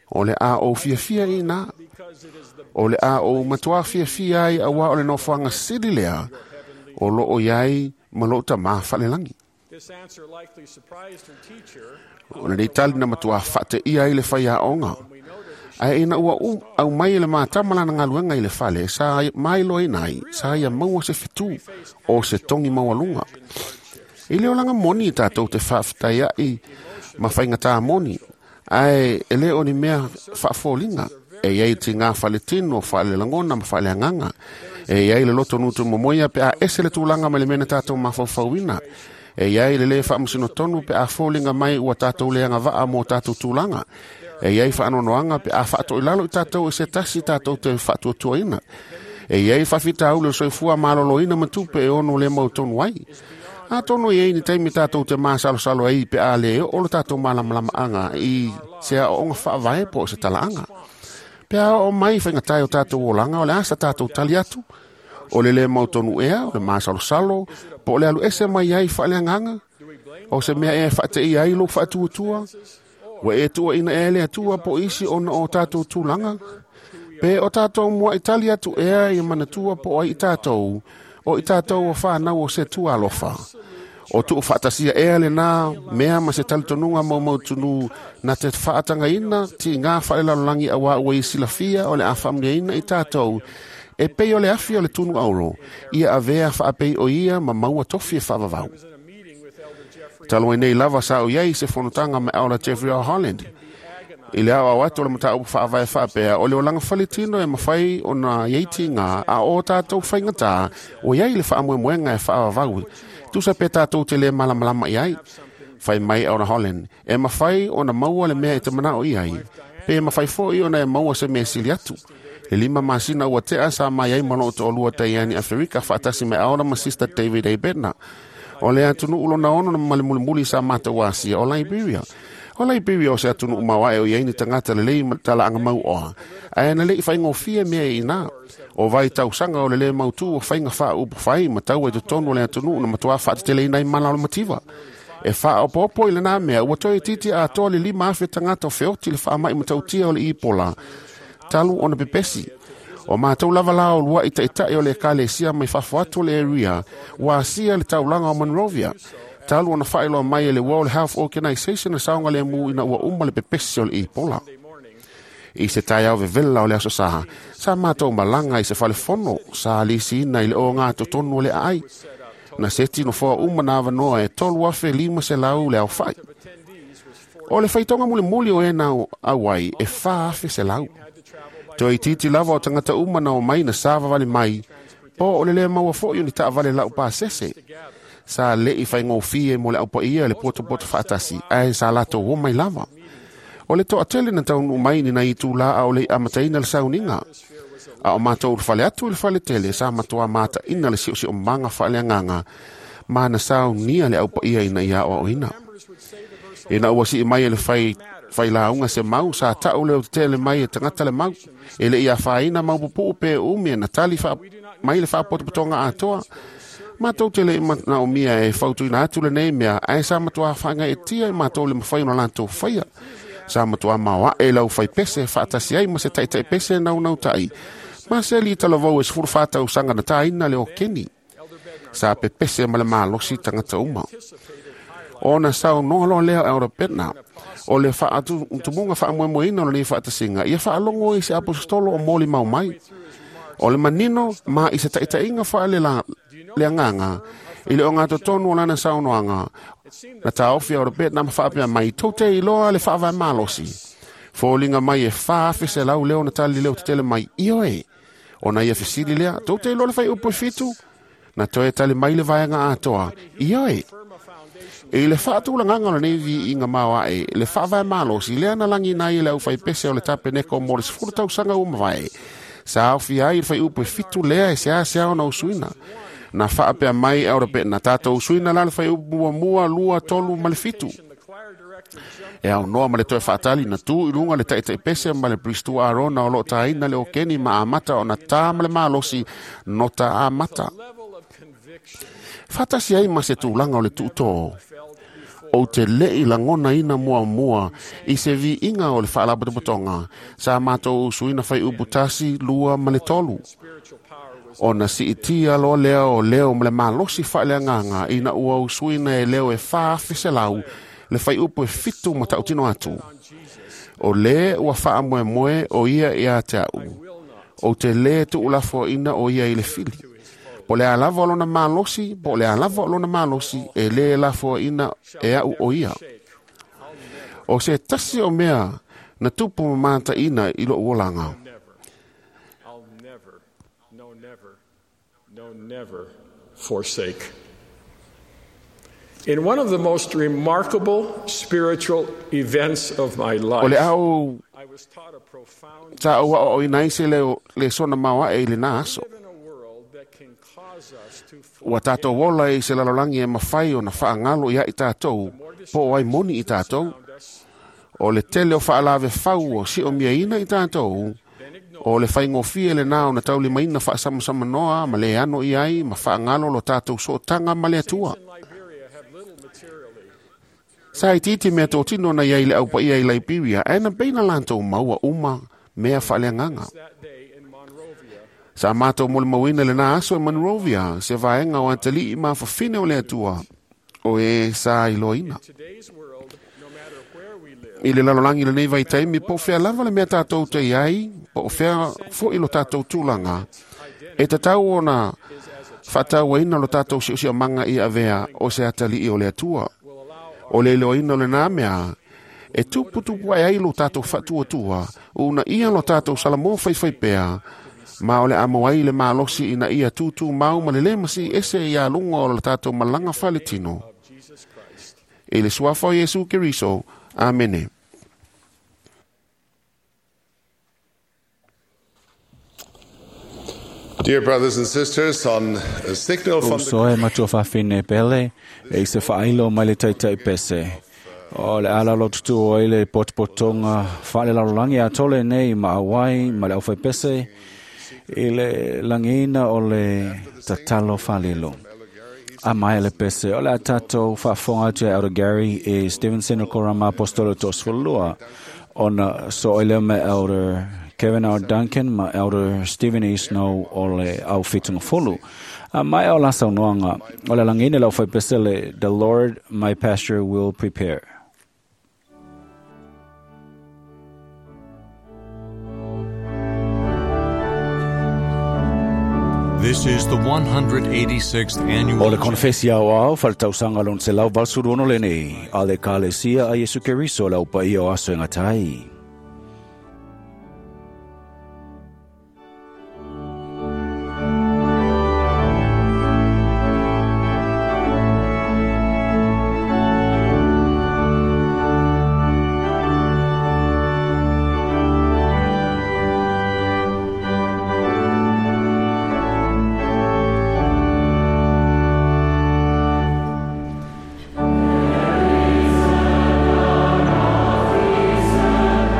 O le a o fiafia i nā. O le a o matua fiafia ai awa o le nofoanga sili lea o lo o iai ma lo ta mā whalelangi. O le tali na matua whate ia i le whai aonga. Ai ina ua u au mai le mātama lana ngaluenga i le whale, sa mai loa inai, sa ia maua se fitu o se tongi maualunga. I leo langa moni i tātou te whaaftai ai ma whainga tā moni. Ai e leo ni mea whaafōlinga. E iai ti ngā whale tino, whale langona ma whale anganga. E iai le loto nutu momoia pe a ese le tūlanga ma le mena tātou mawhauwhauina. E iai le le faamasino pe a foliga mai ua tatou le agavaa mo tatou tulaga. E iai faanoanoaga pe a faatoilalo i tatou e se tasi tatou te faatuatuaina. E iai faafitauli o soifua maloloina ma tupe e ono le mautonu ai. Atonu e iai ni taimi tatou te masalosalo ai pe a le oo lo tatou malamalamaaga i se aooga faavae po o se talaaga. Pe a oo mai faigatae o tatou olaga o le asa tatou tali atu. O le le mautonu ea, o le masalosalo, po o le alu ese mai ai faaleagaga. O se mea e faateia ai lou faatuatua. Ua e tuuaina ea le Atua po o isi ona o tatou tulaga. Pe o tatou muai tali atu ea ia manatua po o ai i tatou, o i tatou o whanau o se tua alofa. O tuu faatasia ea le nā mea ma se talitonuga maumautunu na te faatangaina ti ngā whaelalolangi a wā ua i silafia o le a whaamniaina i tatou e pei o le afi o le tunu auro, ia avea whaapei o ia ma maua tofi e whaavavau. Talo nei lava sa o iai se fonotanga me aola Jeffrey R. Holland. I le ao atu o le mataupu faavae faapea o le olaga faletino e mafai ona iai tiga a o tatou faigata o iai le faamoemoega e faavavau. Tusa pe tatou te le malamalama i ai. Fai mai Elder Holland, e mafai ona maua le mea e te manao i ai. Pe mafai foi ona e maua se mea sili atu. Le lima masina ua tea sa mai ai ma loo toalua taiani Aferika faatasi me Elder ma Sister David A. Bednar. O le atunuu lona ono na ma le mulimuli sa matou asia o Liberia. O Liberia o se atunuu maoae o iai ni tagata lelei ma talaaga mauoa. Ae na le'i faigofie mea i ina. O vai tausaga o le lē mautū o faiga faaupu fai ma taua i totonu o le atunuu na matuā faateteleina ai mala o le mativa. E faaopoopo i lenā mea ua toe itiiti atoa le lima afe tagata o feoti le faama'i matautia o le Ipola. Talu ona pepesi. O matou lava la o lua'i taʻitaʻi o le ekalesia mai fafo atu o le area ua asia le taulaga o Monrovia. Talu ona faailoa mai e le World Health Organization le saogalemu ina ua uma le pepesi o le Ebola. I se taeao vevela o le aso sa, sa matou malaga i se falefono sa lisiina i le oga totonu o le aai. Na seti nofoa uma na avanoa e tolu afe lima selau le aofa'i. O le faitoga mulimuli o e na auai e fa afe selau. Toe itiiti lava o tagata uma na o mai na savavali mai, po o le le maua foi o ni taavale lau pasese. Sa le'i faigofie mo le aupaia le potopoto faatasi, ae sa latou o mai lava. O le toatele na taunuu mai ni nai itulā a o le amataina le sauniga. A o matou le fale atu i le faletele sa matuā mataʻina le siosiomaga faaleagaga ma na saunia le aupaia ina ia aoaoina. Ina ua sii mai e le fai failauga se mau sa ta'u leo tetele mai e tagata le mau. E le'i afaina mau pupuu pe umi e na tali faa, mai le faapotopotoga atoa. Matou te le'i manaomia e fautuina atu lenei mea ae sa matuā faagaetia i matou le mafai ona latou faia. Sa matuā maoaʻe lau faipese faatasi ai ma se taʻitaʻi pese naunautaʻi. Ma se li talavou e sefulu fa tausaga na tāina le o Keni. Sa pepese ma le malosi tagata uma. Ona saunoa loa lea o Elder Bednar, o le faatumuga faamoemoeina o lenei faatasiga ia faalogo i se aposetolo o molimau mai. O le manino ma i se taʻitaʻiga faale le agaga i le ogatotonu o lana saunoaga. Na taofi Elder Bednar ma faapea mai tou te iloa le faavae malosi. Foliga mai e fa afe selau leo na tali leo tetele mai ioe. Ona ia fesili lea, tou te iloa le faiupu e fitu. Na toe tali mai le vaega atoa, ioe. I le faatulagaga o lenei viiga maoaʻe le faavae malosi lea na lagina ai e le aufaipese o le tapeneko mo le sefulu tausaga ua mavae. Sa aofia ai le faiupu e fitu lea e seasea ona usuina. Na faapea mai Elder Bednar tatou usuina la le faiupu muamua, lua, tolu ma le fitu. E aunoa ma le toe faatali na tu i luga le taʻitaʻi ma le Pristu Arona o loo tāina le okeni ma amata ona tā ma le malosi nota amata. Faatasi ai ma se tulaga o le tuutō. O te le'i lagonaina muamua i se viiga o le faalapotopotoga sa matou usuina faiupu tasi, lua ma le tolu. Ona siitia loa lea o leo ma le malosi faaleagaga ina ua usuina e leo e fa afe selau le faiupu e fitu ma tautino atu. O le ua faamoemoe o ia ia te a'u. O te lē tuulafoaina o ia i le fili. Po le a lava o lona malosi, po le a lava o lona malosi, e lē lafoaina e a'u o ia. O se tasi o mea na tupu ma mataʻina i lo'u olaga. I'll never, no, never, no, never forsake. In one of the most remarkable spiritual events of my O le life, ao I was taught a profound sa au ao ina ise le, le sona maoa e i le nā aso. live in a world that can cause us to Ua tātou ola i se lalolagi e mawhai o na whaangalo ia i tātou, po ai moni i tātou. forget us, O le tele o whaalave fau o si o mia ina i tātou, o le whaingofie le nā o na tauli maina whaasamasama noa ma le ano i ai ma whaangalo lo tātou sootanga ma le atua. in Liberia have little materially Sa i titi mea tō tino na iai le au paia i Liberia, e na peina lantou maua uma mea whaaleanganga. that day in Monrovia Sa mātou mo le mauina le nā aso e Monrovia, se vaenga o atalii ma whawhine o le atua, o e sa iloina. today's world, no matter where we live, I le lalolangi le nei vai taimi, po whea lava le mea tātou te iai, po whea fo i lo tātou tūlanga. E tatau ona whātauaina lo tātou siusia manga i avea o se atalii o le atua. O le iloina o le nā mea, e tuputupu ai ai lo tātou whatuatua, una ia lo tātou salamo whaiwhai pea, ma o le amo ai le malosi ina ia tūtū mau ma le lemasi ese ia lunga o lo tātou malanga whaletino. Jesus Christ. E le suafa o Iesu Keriso. Amene. Dear brothers and sisters, on a signal from the Uso e matua whawhine pele, e i se whailo mai le taitai pese. O le ala lo tutu o ile potopotonga whaale lalolangi a tole nei ma awai ma le auwhai pese i le langina o le tatalo whalilo. A mai le pese, o le a tātou whaafonga atu e Elder Gary e Stevenson o Korama Apostolo Tosfolua ona so oile me Elder Kevin R. Duncan ma Elder Stephen E. Snow o le au whitunga folu. A mai o la saunoanga, o le langina lau whai pese le The Lord my pasture will prepare. This is the one hundred eighty-sixth O annual le konfesi au au, faltausanga lon se lau valsuruono le nei, a le kalesia a Yesu Keriso lau pa ia o aso e ngatai. There is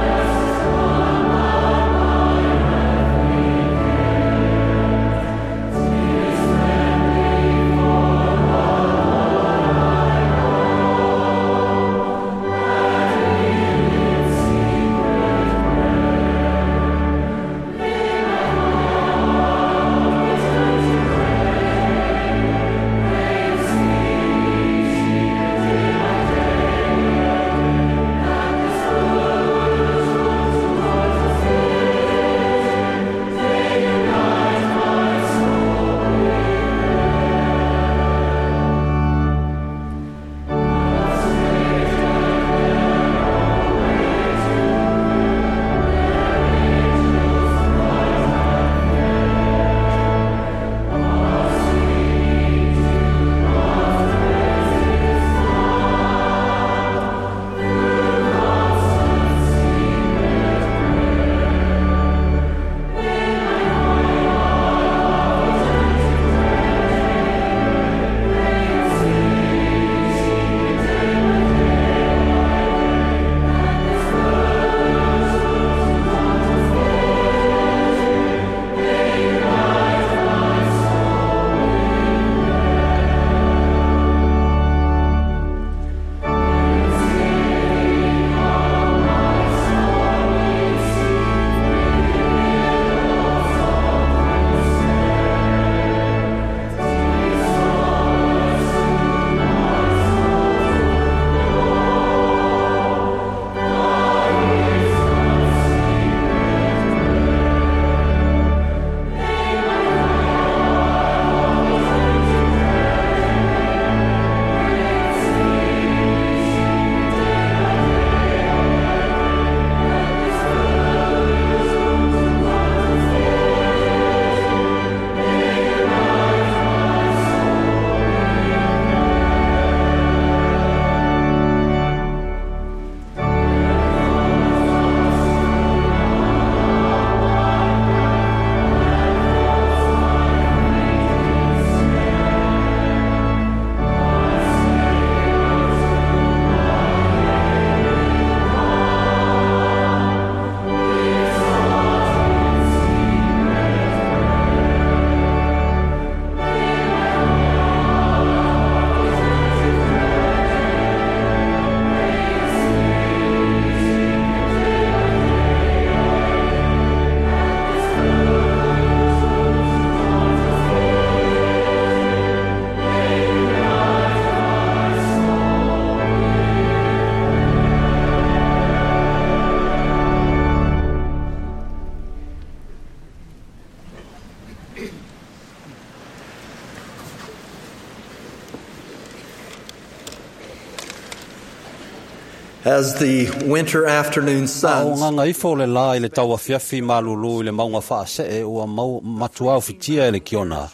As the winter afternoon O sun nganga ifo le la i le tauafiafi malulu i le maunga whaasee ua mau matua o fitia e le kiona.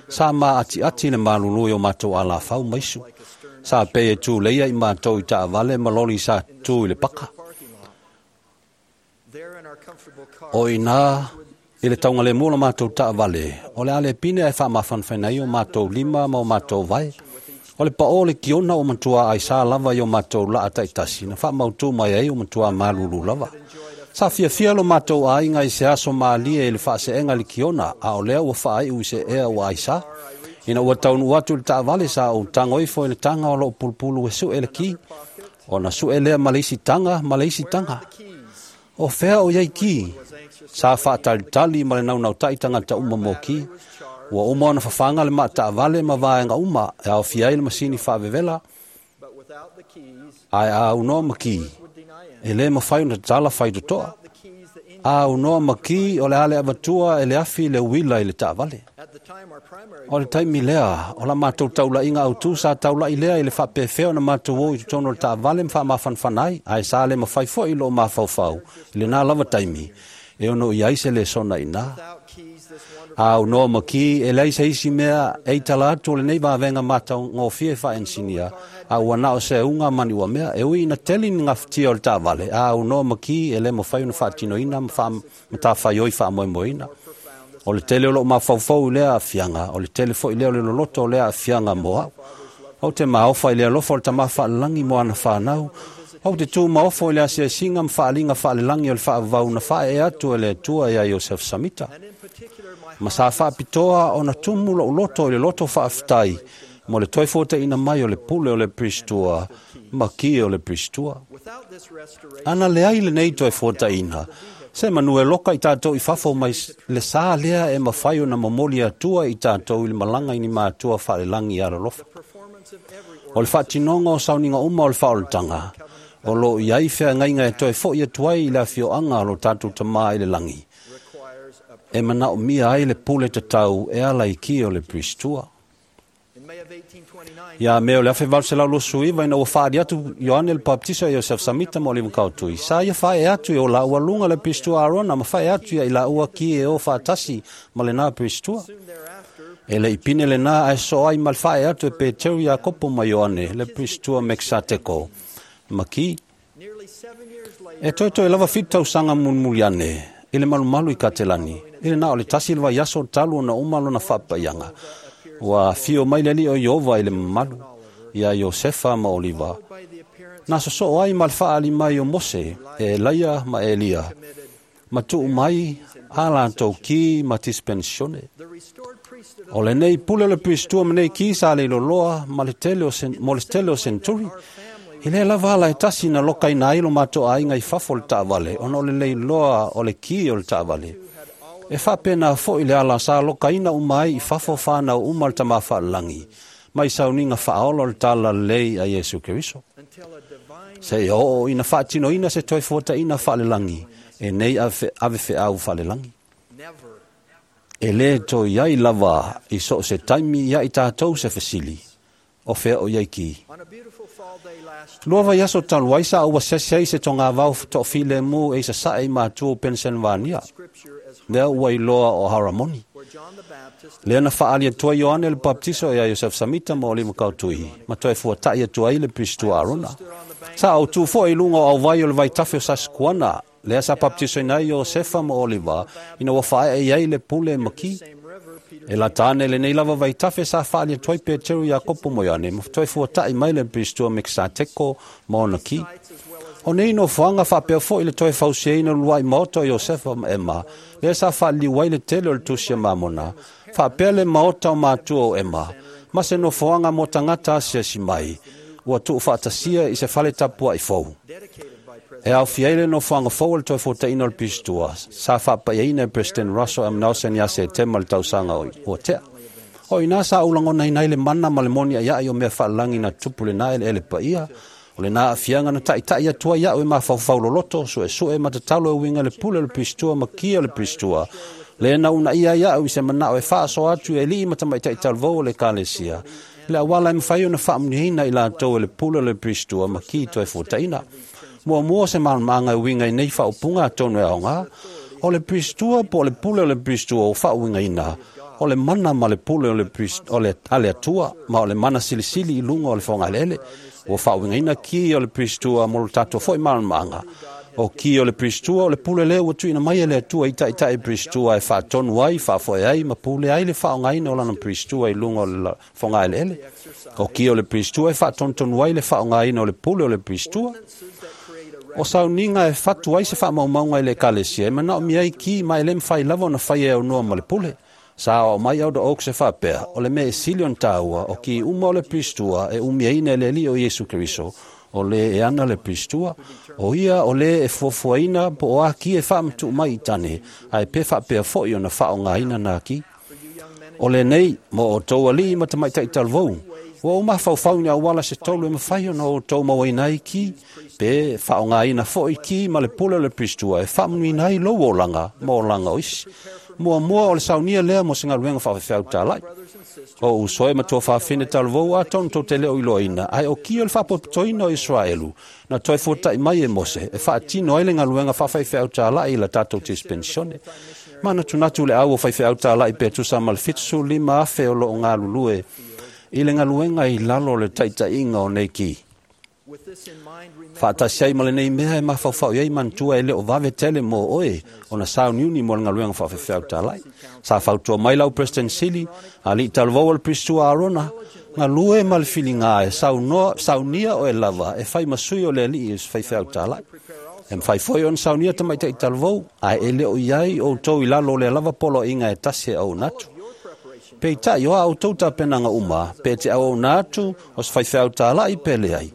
Sa ma ati ati le malulu i o matou alafau maisu. Sa pe e tū leia i mātou i taavale ma loli sa tū i le paka. O ina i le taunga le mua la mātou taavale, o le ale pine e whaamafanwhaina i o mātou lima ma o mātou vai. O le pao le kiona o matua ai sa lava i o mātou la ataitasi, na whaamautu mai ai o matua malulu lava. Sa fiafia lo mātou ainga i se aso maalie i le whaaseenga le kiona, a o lea ua whaai ui se ea ua ai sa. Ina ua taunu atu le taavale sa o tango ifo i le tanga o loo pulupulu e sue le ki. O na sue lea maleisi tanga, maleisi tanga. O fea o iai ki. Sa whaatalitali ma le naunautai tangata uma mo ki. Ua uma ona whawhanga le maataavale ma vaenga uma e ao fiai le masini whaavevela. Ai a unoa maki. E le mawhai ona tala whai totoa. A unoa maki o le ale avatua e le afi le uila i le taavale. O le taimi lea, o la mātou taula inga au tū sa taula i lea i le whapewheo na mātou o i tutono le taavale mwha mawhanwhanai, ai sa le mawhai fo i lo mawhauwhau, i le nā lava taimi, e ono i aise le sona i nā. A unoa maki, e leisa isi mea, e i tala atu o le nei vāwenga mātau ngōfie wha ensinia, a ua nao se unga mani ua mea, e ui na teli ni ngawhitia o le taavale, a unoa maki e le mawhai una whaatinoina, mwha matawhaioi wha moemoeina. O le tele o loo mafaufau i lea afianga, o le tele foi lea o le loloto o lea afianga mo au. Au te maofa i le alofa o le tama faalelangi mo ana whanau. Au te tū maofo i le asiasinga mwhaalinga faalelangi o le whaavau na whae e atu e le atua ia Iosef Samita. Ma sa whaapitoa o na tumu lo uloto i le loto whaaftai, mo le toi fōta ina mai o le pule o le pristua, ma ki o le pristua. Ana le ai le nei toi fōta ina, se manu e loka i tātou i whafo mai le sā lea e mawhai o na momoli atua i tātou i le malanga i ni mātua whaalelangi i aralofa. O le whaatinonga o sauninga uma o le whaolotanga, o lo i ai whea ngainga e toi fo i atuai i le awhioanga o lo tātou tamā i le langi. E mana o mia ai le pule tatau e ala i ki o le pristua. Ia mea o le awhe valu losu iwa ina ua whaari atu Ioane le Baptisa e Iosef Samita mo le mkautui. Sa ia whae atu i o la ua lunga le pristua Arona ma whae atu ia i la ua ki e o whaatasi ma le nā pristua. E le ipine le nā ae so ai ma le whae atu e Peteru Iakopo ma Ioane le pristua Meksateko. Ma ki, e toi toi lava whitu tausanga munmuliane i le malumalu i Katelani. I le nā o le tasi le vaiaso talu ona uma lona whapaianga. Ua fio mai le ali o Iova i le mamalu, ia Iosefa ma Oliva. Nā soso ai ma le whaali mai o Mose, e Elaia ma Elia. Ma tuu mai a lātou ki ma dispensione. O le nei pule o le pristua ma nei ki sa le loloa ma le tele o, sen, mo le tele o Centuri. I le lava ala e tasi na loka ina ai lo mātou ainga i fafo le taavale, ona o le leiloa o le ki o le taavale. E whapena fo i le ala sa lokaina umai i fafo whanau uma le tama whalangi. Mai sauninga whaola o le tala lei a Yesu Keriso. Se i o ina whaatino ina se toi fōta ina whaalelangi, e nei ave wheau whaalelangi. E le toi ai lava i so se taimi ia i tātou se whasili, o whea o iai ki. Lua vai aso talu ai sa ua sese ai se tonga vau to file mu e sa sae mātua Pennsylvania. Lea ua iloa o Haramoni. Lea na whaali atua Ioane le Baptiso ia Iosef Samita ma o Lima Kautui. Ma toe fuatai atua ai le pristua Arona. Sa au tū fo i lunga o au vai o le vaitafe o Saskuana. Lea sa baptiso ina Iosefa ma Oliva. Ina ua whae e ai le pule maki. E la tāne le nei lava vaitafe sa whaali atua i Peteru Iakopo mo Ioane. Ma toe fuatai mai le pristua Meksateko ma ona ki. O nei no whanga whapea fo i le toi fauseina lua i maota o Iosefa ma Ema. Lea sa whaaliu ai le tele o le tusia mamona. Whapea le maota o mātua o Ema. Ma se no whanga mo tangata asiasi mai. Ua tuu whaatasia i se whale tapua i fou. E au fiaile no whanga fou le toi fōtaina o le pistua. Sa whapaiaina e President Russell M. Nelson ia se tema le tausanga o, o tea. O ina sa ulangona ina i le mana ma le moni a ia i o mea whaalangi na tupu le na ele ele paia. O le nā afianga na taitai atua iau e mafaufau loloto, sue sue matatalo e winga le pule o le pistua ma kia o le pistua. Le na una ia iau i se manao e whaaso atu e lii matamaitai talvou o le kalesia. Le awala e mwhai o na whaamunihina i lātou e le pule o le pistua ma ki toi fōtaina. Muamua se malamalamaaga e uiga i nei faaupuga atonu e aogā. O le Piristua po o le pule o le Piristua ua faauigaina, o le mana ma le pule o le, o le, a le Atua, ma o le mana silisili i luga o le fogaeleele. Ua faauigaina ki o le Piristua mo lo tatou foi malamalamaaga. O ki o le Piristua o le pule lea ua tuuina mai e le Atua i taitai Piristua e faatonu ai, faafoe ai ma pule ai le faaaogaina o lana Piristua i luga o le fogaeleele. O ki o le Piristua e faatonutonu ai le faaaogaina o le pule o le Piristua. O sauniga e fatu ai se faamaumauga i le ekalesia e manaomia ai ki ma e le mafai lava ona faia e aunoa ma le pule. Sa o mai Elder Oaks e faapea, o le mea e sili ona tāua o ki uma o le Piristua e umiaina e le Alii o Iesu Keriso, o le e ana le Piristua, o ia o le e fuafuaina po o a ki e faamatuu mai i tane, ae pe faapea foi ona faaaogaina na ki. O lenei, mo outou alii ma tamaitai talavou, ua ou mafaufau ni auala se tolu e mafai ona outou mauaina ai ki, pe faaaogaina foi ki ma le pule o le Piristua e faamanuiina ai lou olaga ma olaga o isi. Muamua o le saunia lea mo se galuega faafefeau talai. O uso e matua faafine talavou atonu tou te leo iloaina, ae o ki o le faapotopotoina o Israelu, na toe fuatai mai e Mose, e faatino ai le galuega faafaifeau talai i la tatou dispensione. Manatunatu le au o faifeau talai pe tusa ma le fitusefulu lima afe o loo galulue i le galuega i lalo o le taitaiga o nei ki. Faatasi ai ma lenei mea e mafaufau i ai manatua e le o vave tele mo oe ona sauniuni mo le galuega faafefeau talai. Sa fautua mai lau President Sili, alii talavou o le Piristua Arona, galue ma le filiga e saunoa, saunia oe lava e fai ma sui o le alii o se faifeau talai. E mafai foi ona saunia tamaitai talavou, ae e le o i ai outou i lalo o le lava poloaiga e tasi e auauna atu. Peitai o a outou tapenaga uma, pe te auauna atu o se faifeau talai pe leai.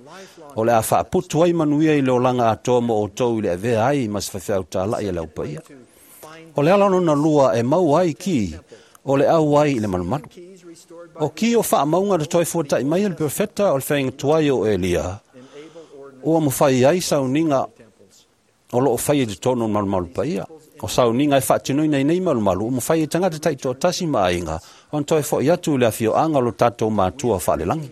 O le a faaputu ai manuia i le olaga atoa mo outou i le avea ai ma se faifeau talai e le aupaia. O le ala lona lua e maua ai ki, o le au ai i le malumalu. O ki o faamauga na toe fuatai mai e le profeta o le feaingatuai o Elia, ua mafai ai sauniga o loo faia i totonu o le malumalu paia. O sauniga e faatinoina i nei malumalu, ua mafai e tagata taitoatasi ma aiga ona toe fo'i atu i le afioaga o lo tatou matua faalelagi.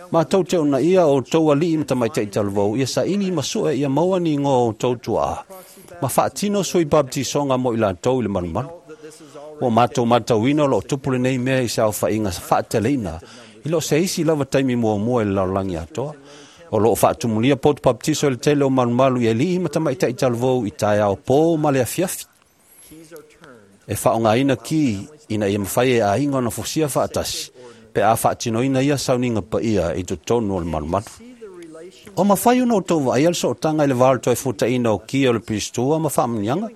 Matou te ona ia o outou alii ma tamaitai talavou, ia saili ma sue ia maua ni igoa o outou tuaa, ma faatino sui baptisoga mo i latou i le malumalu. Ua matou matauina o loo tupu lenei mea i se aofaiga faateleina, i loo se isi lava taimi muamua i le lalolagi atoa. O loo faatumulia poto baptiso i le tele o malumalu i alii ma tamaitai talavou i taeao pō ma le afiafi. E faaaogaina ki ina ia mafai e aiga ona fosia faatasi, pe a faatinoina ia sauniga paia i totonu o le malumalu. O mafai ona outou vaaia le sootaga i le va o le toe fuataina o ki o le Piristua ma faamanuiaga.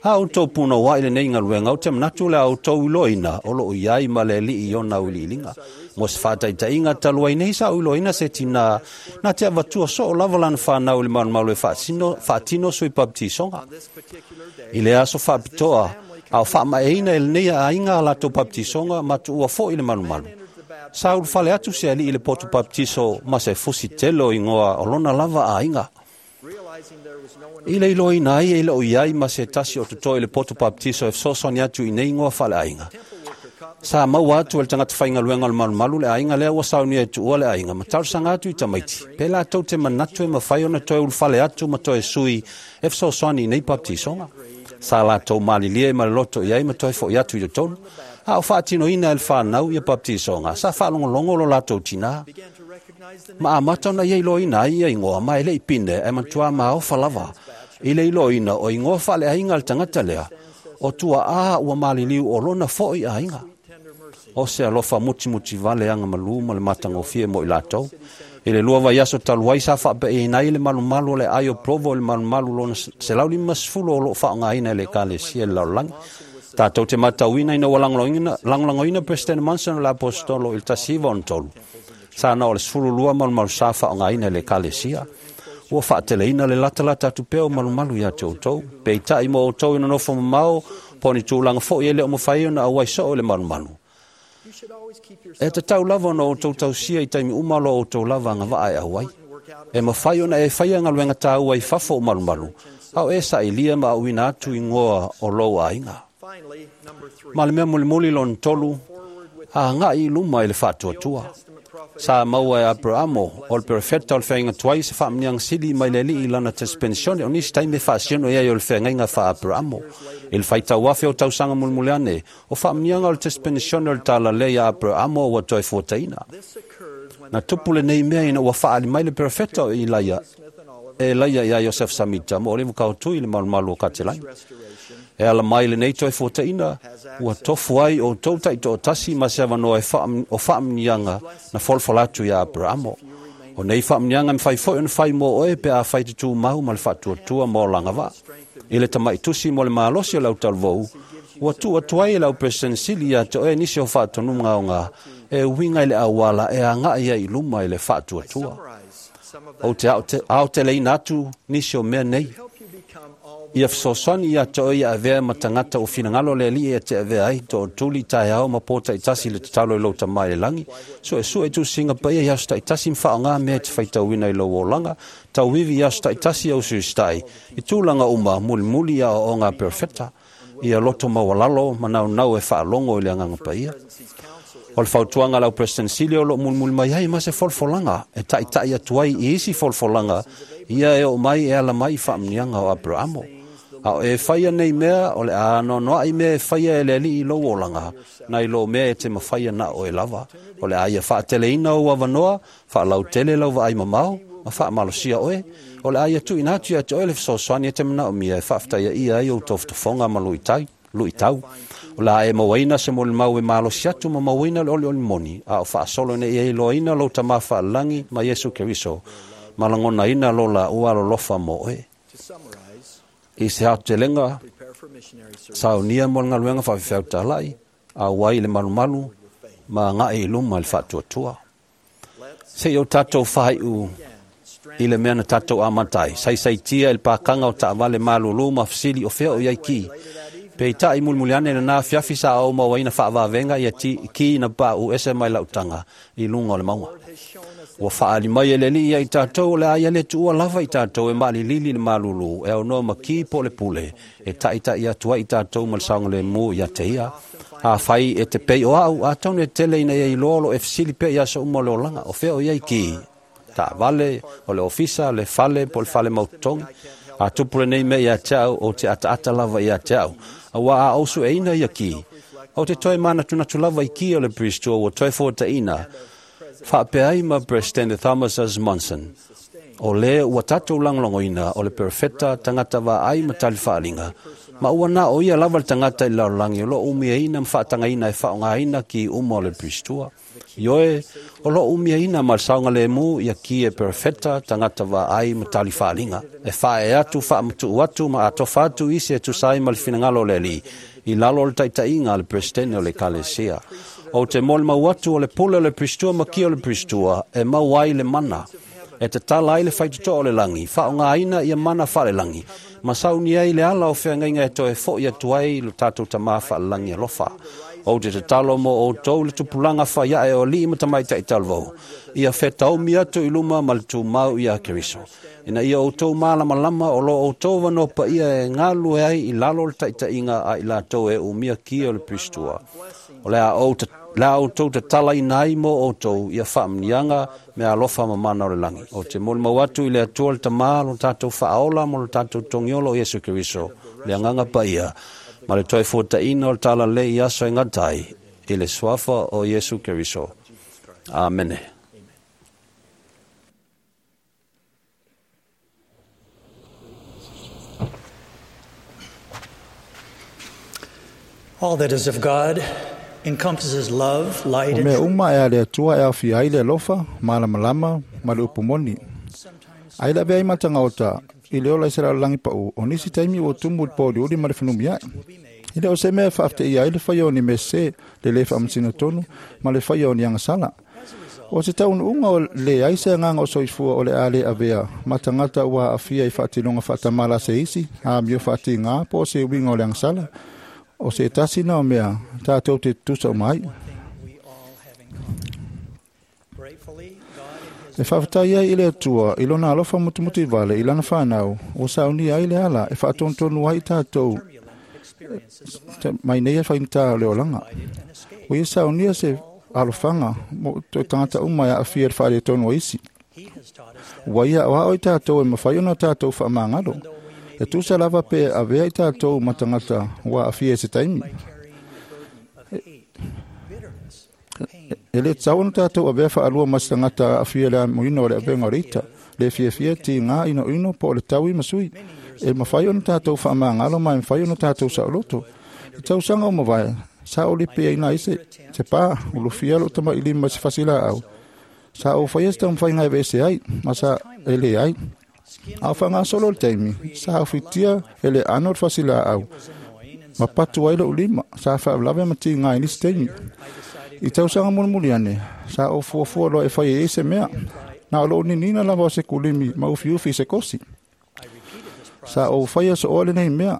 A outou punouai lenei galuega, ou te manatu le a outou iloaina o loo i ai ma le alii i ona auiliiliga. Mo se faataitaiga talu ai nei sa ou iloaina se tinā na te avatua soo lava lana fanau i le malumalu e faatino, faatino sui baptisoga. I le aso faapitoa, a o faamaeaina e lenei aiga a latou baptisoga ma tuua foi le malumalu. Sa ulufale atu se alii i le poto baptiso ma se fusi tele o igoa o lona lava aiga. I le iloaina ai e loo i ai ma se tasi o totoe i le poto baptiso e fesoasoani atu i nei igoa faaleaiga. Sa maua atu e le tagata faigaluega o le malumalu le aiga lea ua saunia e tuua le aiga ma talosaga atu i tamaiti. Pe latou te manatu e mafai ona toe ulufale atu ma toe sui e fesoasoani i nei baptisoga. Sa latou malilie ma le loto i ai ma toe fo'i atu i totonu. A o faatinoina e le fanau ia baptisoga, sa faalogologo lo latou tinā. Ma amata ona ia iloaina ai ia igoa ma e le i pine e matua maofa lava. I le iloaina o igoa faaleaiga a le tagata lea, o tuaa ua maliliu o lona fo'i aiga. O se alofa mutimuti vale aga malū ma le matagofie mo i latou. I le lua vaiaso talu ai sa faapeaiina ai le malumalu o le ai o Provo i le malumalu lona selau limasefulu o loo faaaogaina e le ekalesia i le lalolagi. Tatou te matauina ina ua lagolagoina President Monson o le apostolo i le tasi iva ona tolu. Sa na o le sefulu lua malumalu sa faaaogaina e le ekalesia. Ua faateleina le latalata atu pea o malumalu ia te outou. Peitai mo outou i nonofo mamao, po o ni tulaga foi e le o mafai ona auai soo i le malumalu. E tatau lava ona outou tausia i taimi uma lo outou lava agavaa e auai. E mafai ona e faia galuega tāua i fafo o malumalu, a o e sailia ma auina atu igoa o lou aiga. Ma le mea mulimuli lona tolu, agai i luma i le faatuatua. Sa maua e Aperamo o le perofeta o le feagaiga tuai se faamanuiaga sili mai le Alii i lana tespenisione o nisi taimi e faasino i ai o le feagaiga faa-Aperamo. I le faitau afe o tausaga mulimuli ane, o faamanuiaga o le tespenisione o le talalelei a Aperamo ua toe fuataina. Na tupu lenei mea ina ua faaali mai le perofeta o Ilaia e Laia ia Iosef Samita mo le kautui i le malumalu o Katelai. E ala mai lenei toe fuataina, ua tofu ai o tou taitoatasi ma se avanoa e o faamanuiaga na folafola atu ia Aperamo. O nei faamanuiaga mawhai foi ona whai mō oe pe a whai te tūmau ma le whaatuatua mō langa vaa. I le tamai tusi mo le malosi o lau talvou, ua tu atu ai e lau President sili ia te oe nisi o whaatonuga o ngā e uinga i le awala e anga ia i luma i le whaatuatua. O te ao te leina atu nisi o mea nei. Ia fesoasoani ia te oe ia avea ma tangata o finagalo le Alii e te avea ai to tuli taeao ma pō taitasi le tatalo i lou tamā i le lagi. Suesue i tusiga paia i aso taitasi ma faaaogā mea e te faitauina i lou olaga. Tauivi i aso taitasi au suistai. I tulaga uma mulimuli ia aoaoga a perofeta. Ia loto maualalo ma naunau e faalogo i le agaga paia. O le fautuaga lau President sili o loo mulimuli mai ai ma se folafolaga e taʻitaʻi atu ai i isi folafolaga ia e oo mai e ala mai i faamanuiaga o Aperamo. A o e faia nei mea o le a noanoaʻi mea e faia e le Alii i lou olaga nai lo mea e te mafaia na o e lava. O le a ia faateleina ou avanoa, faalautele lau vaai mamao ma faamalosia oe. O le a ia tuuina atu ia te oe le fesoasoani e te manaomia e faafetaiaia ai ou tofotofoga ma luitau. Luitau. O la e mauaina se molimau e malosi atu ma mauaina le olioli moni, a o faasolo ina ia iloaina lou tamā faalelagi ma Iesu Keriso, ma lagonaina lo laua alolofa mo oe. I se aotelega, saunia mo le galuega faafefeautalai, auai i le malumalu, ma agaʻi i luma i le faatuatua. Seʻi o tatou fahaiʻu i le mea na tatou amata ai, saisaitia i le pakaga o taavale malūlū ma fesili o fea o i ai ki. Peitaʻi mulimuli ane lenā afiafi sa ou mauaina faavavega ia ki na paʻu ese mai lautaga i luga o le mauga. Ua faaali mai e le Alii ia i tatou o le a ia le tuua lava i tatou e maalilili le malūlū e aunoa ma ki po o le pule e taʻitaʻi atu ai i tatou ma le saogalēmū ia te ia. Afai e te pei o au, atonu e tele ina ia iloa o loo e fesili pea i aso uma o le olaga, o fea o i ai ki. Taavale, o le ofisa, le fale, po o le fale mautotogi. A tupu lenei mea ia te au, o te ataata lava ia te au. Auā a ou sueina ia ki. O te toe manatunatu lava i ki o le Priestua ua toe fuataina. Faapea ai ma President Thomas S. Monson. O le ua tatou lagolagoina o le perofeta tagata vaai ma tali faaliga. Ma ua na o ia lava le tagata i le lalolagi o loo umiaina ma faatagaina e faaaogāina ki uma o le Priestua. Ioe, o loo umiaina ma le saogalēmū ia ki e perofeta tagata vaai ma tali faaliga. E faaee atu, faamatuu atu ma atofa atu isi e tusa ai ma le finagalo o le Alii i lalo o le taitaiga a le Peresetene o le Ekalesia. O te molimau atu o le pule o le Priestua ma ki o le Priestua e mau ai le mana. E tatala ai le faitotoa o le lagi, faaaogāina ia mana faalelagi, ma sauni ai le ala o feagaiga e toe foʻi atu ai lo tatou tamā faalelagi alofa. O te tatalo mo outou le tupulaga faiaʻe o alii ma tamaitaʻi talavou, ia fetaomi atu i luma ma le tumau ia Keriso. Ina ia outou malamalama o lo outou avanoa paia e galulue ai i lalo o le taʻitaʻiga a i latou e umia ki o le Priestua. O le a ou le a outou tatalaina ai mo outou ia faamanuiaga me alofa ma mana o le lagi. O te molimau atu i le Atua le Tamā lo tatou faaola mo lo tatou togiolo o Iesu Keriso, le agaga paia, ma le toe fuataina o le talalelei i aso e gata ai, i le suafa o Iesu Keriso. Amene. All that is of God encompasses love, light, O and mea truth. uma e a le Atua e aofia ai le alofa, malamalama ma le upu moni. Ai le avea ai matagaota i le ola i se lalolagi paʻu, o nisi taimi ua tumu i le pōuliuli ma le fenumiaʻi. E le o se mea e faafeteia ai le faia o ni mea sesē, le lē faamasino tonu ma le faia o ni agasala. O se taunuuga o leai se agaga o soifua o le a lē avea ma tagata ua aafia i faatinoga faatamala a se isi, amio faatigā po o se uiga o le agasala. O se tasi na o mea tatou te tutusa uma ai. E faafetai ai i le Atua i lona alofa mutumuti vale i lana whanau, o saunia ai le ala e whaatonutonu ai tātou mai nei e whainta o le olanga. O ia saunia se alofaga mo toe tagata uma e aafia i le faaletonu o isi. Ua ia aoao i tatou e mafai ona tatou faamagalo. E tusa lava pe avea i tatou ma tagata ua aafia i se taimi. E le tatau ona tatou avea faalua ma se tagata aafia i le amoina o le avega o le ita, le fiafia tigā inoino po o le taui ma sui. E mafai ona tatou faamagalo ma e mafai ona tatou saoloto. I tausaga o mavae, sa ou lipeaina ai se, se pā, ulufia lou tamailima i se fasilaau. Sa ou faia se taumafaiga e aveese ai, ma sa e leai. A o faagasolo le taimi, sa aufitia e le ano o le fasilaau, ma patu ai lou lima, sa faalavelave ma tigā i nisi taimi. I tausaga mulimuli ane, sa ou fuafua loa e fai ai se mea, na o lou ninina lava o se kulimi ma ufiufi i se kosi. Sa ou faia sooa lenei mea.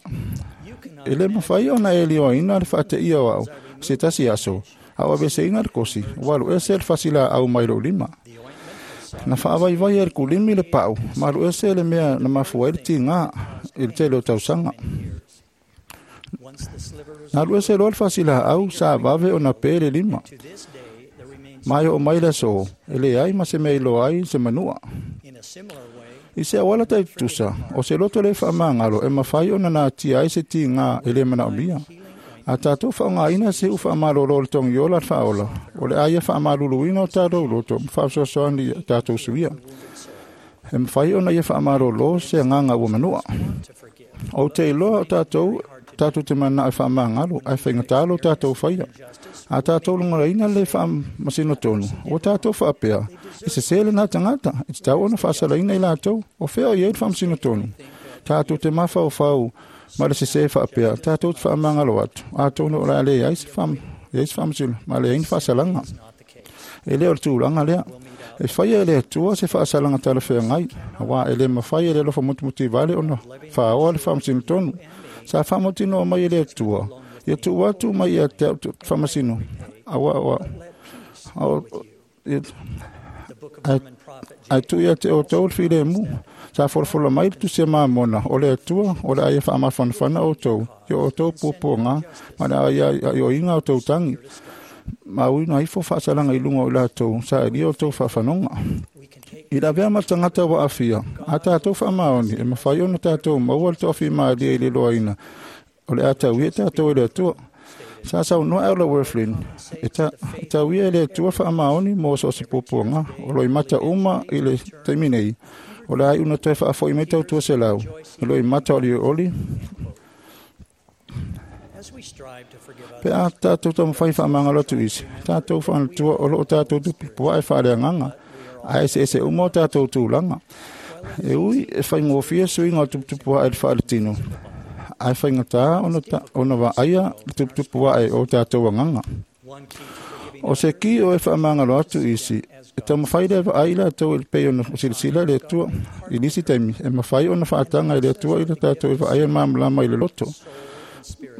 E le mafai ona e lioaina le faateia o au se tasi aso, a o aveseina le kosi, ua aluese le fasilaau mai lou lima. Na faavaivai e le kulimi le pau, ma aluese le mea na mafua ai le tigā i le tele o tausaga. Na aluese loa le fasilaau, sa vave ona pe le lima. Ma e oo mai le aso, e leai ma se mea iloa ai se manua. I se auala taitutusa, o se loto le faamagalo e mafai ona natia ai se tigā e le manaomia. A tatou faaaogaina se ufaamalolo o le togiola le faaola, o le a ia faamaluluina o tatou loto ma faasoasoani i tatou suia. E mafai ona ia faamalolo se agaga ua manua. Ou te iloa o tatou tatou te manao e faamagalo, ae faigata lo tatou faia. A tatou logolaina le faamasino tonu, ua tatou faapea, e sesē lena tagata, e tatau ona faasalaina i latou, o fea o i ai le faamasino tonu. Tatou te mafaufau ma le sesē faapea, tatou te faamagalo atu, atonu o le a leai se faamasino, ma leai ni faasalaga. E le o le tulaga lea. E faia e le Atua se faasalaga talafeagai, auā e le mafai e le alofa mutimutivale ona faaoa le faamasino tonu. Sa faamautinoa mai e le Atua, ia tuu atu mai ia te au faamasino, aua ae tuu ia te outou le filemu. Sa folafola mai le tusi a Mamona, o le Atua, o le a ia faamafanafana outou, i o outou puapuaga, ma le a ia aioiga o outou tagi. Ma uina ifo faasalaga i luga o i latou, sa elia outou faafanoga. I le avea ma le tagata ua aafia, a tatou faamaoni, e mafai ona tatou maua le toafimalie i le iloaina, o le a tauia tatou e le Atua. Sa saunoa Elder Wirthlin, e, ta, e tauia e le Atua faamaoni mo so o se puapuaga, o loimata uma i le taimi nei, o le a iuna toe faafoi mai tautua selau, i loimata o olioli. Pe a tatou taumafai faamagalo atu isi, tatou faanatua o loo tatou tupupuae faaleagaga, ae eseese uma o tatou tulaga. E ui e faigofie suiga o tuputupuae i le faaletino, ae faigatā ona, ta, ona vaaia le tuputupuae o tatou agaga. O se ki o e faamagalo atu isi, e taumafai le vaai i latou i le pei ona silasila i le Atua. I nisi taimi, e mafai ona faataga i le Atua i le tatou e vaaia le malamalama i le loto.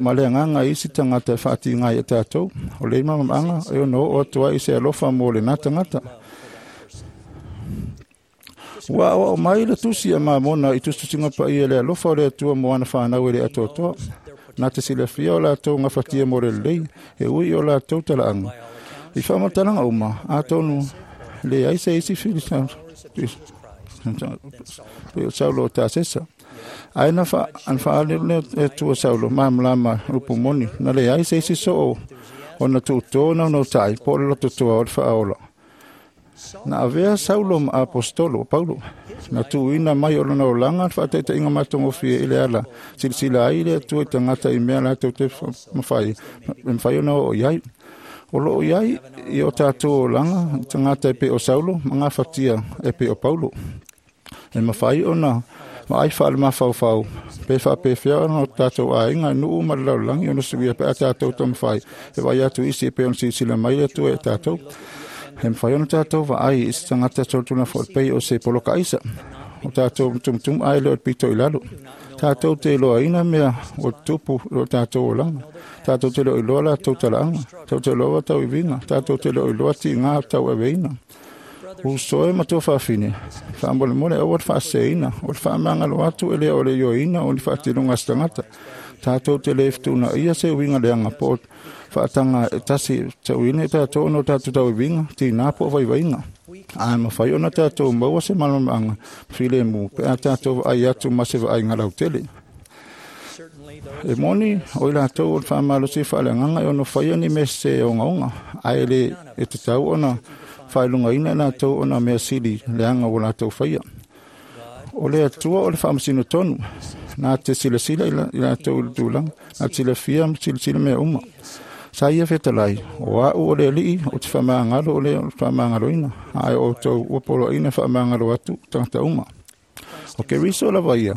Ma le agaga i isi tagata e faatiga ai e tatou, o le malamalamaaga e ono oo atu ai i se alofa mo lena tagata. Ua aoao mai le tusi a Mamona i tusitusiga paia le alofa o le Atua mo ana fanau e le atoatoa. Na te silafia o latou gafatia mo le lelei, e ui i o latou talaaga. I faamatalaga uma, atonu leai se isi filisa Saulo o Tasesa. Ae na faalelu le Atua Saulo malamalama upu moni, na leai se isi soo ona tuutō naunautai po o le lototoa o le faaola. Na avea Saulo ma apostolo Paulo, na tuuina mai o lona olaga le faataitaiga matagofie i le ala, silasila ai le Atua i tagata i mea latou te mafai, e mafai ona oo i ai. O loo i ai i o tatou olaga tagata e pei o Saulo ma gafatia e pei o Paulo. E mafai ona vaai faalemafaufau pe faapefea ona o tatou aiga nuu ma le lalolagi ona suia pe a tatou taumafai e vaai atu isi e pei ona silasila mai le Atua e tatou. E mafai ona tatou vaai i se tagata solitulafono pei o se poloka aisa. O tatou tumutumu ae le o le pito i lalo. Tatou te iloaina mea o tupu o tatou olaga. Tatou te le o iloa latou talaaga. Tatou te iloa tauiviga. Tatou te le o iloa tiga tauaveina. Uso e ma tua faafine, faamolemole aua le faaseseina, o le faamagalo atu e le o le ioeina o ni faatinoga a se tagata. Tātou te le fetuna ia se uiga leaga po o faataga e tasi tauina i tatou ona o tatou tauiviga, tinā po o vaivaiga. Ae mafai ona tatou maua se malamalamaaga filemu pe a tatou vaai atu ma se vaaiga lautele. E moni o i latou o le faamalosi faaleagaga e ono faia ni mea sese ogaoga, ae le e tatau ona faailogaina i latou ona mea sili leaga ua latou faia. O le Atua o le faamasino tonu, na te silasila i latou i le tulaga, na te silafia ma silasila mea uma. Sa ia fetalai, o a'u o le Alii o te faamagalo o le faamagaloina, ae o outou ua poloaiina faamagalo atu tagata uma. O Keriso lava ia,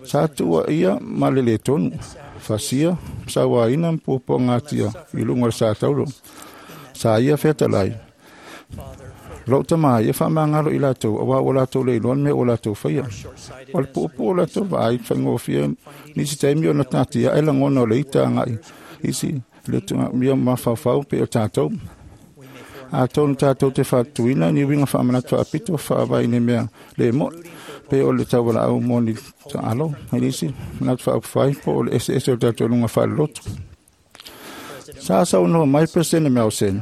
sa tuua ia ma le lē tonu, fasia, sauaina ma puapuagatia i luga o le sa taulo. Sa ia fetalai, lou tamā ia faamagalo i latou, auā ua latou le iloa le mea ua latou faia. O le puupuu o latou vaai faigofie nisi taimi ona tatiae lagona o le ita agai isi le tuugamia mafaufau pei o tatou. Atonu tatou te faatuina ni uiga faamanatu faapito faavae i ni mea le mo'i, pe o le taualaau mo ni taalo, i nisi manatu faaupufai po o le eseese o tatou luga faalelotu. Sa saunoa mai Peresene Melson,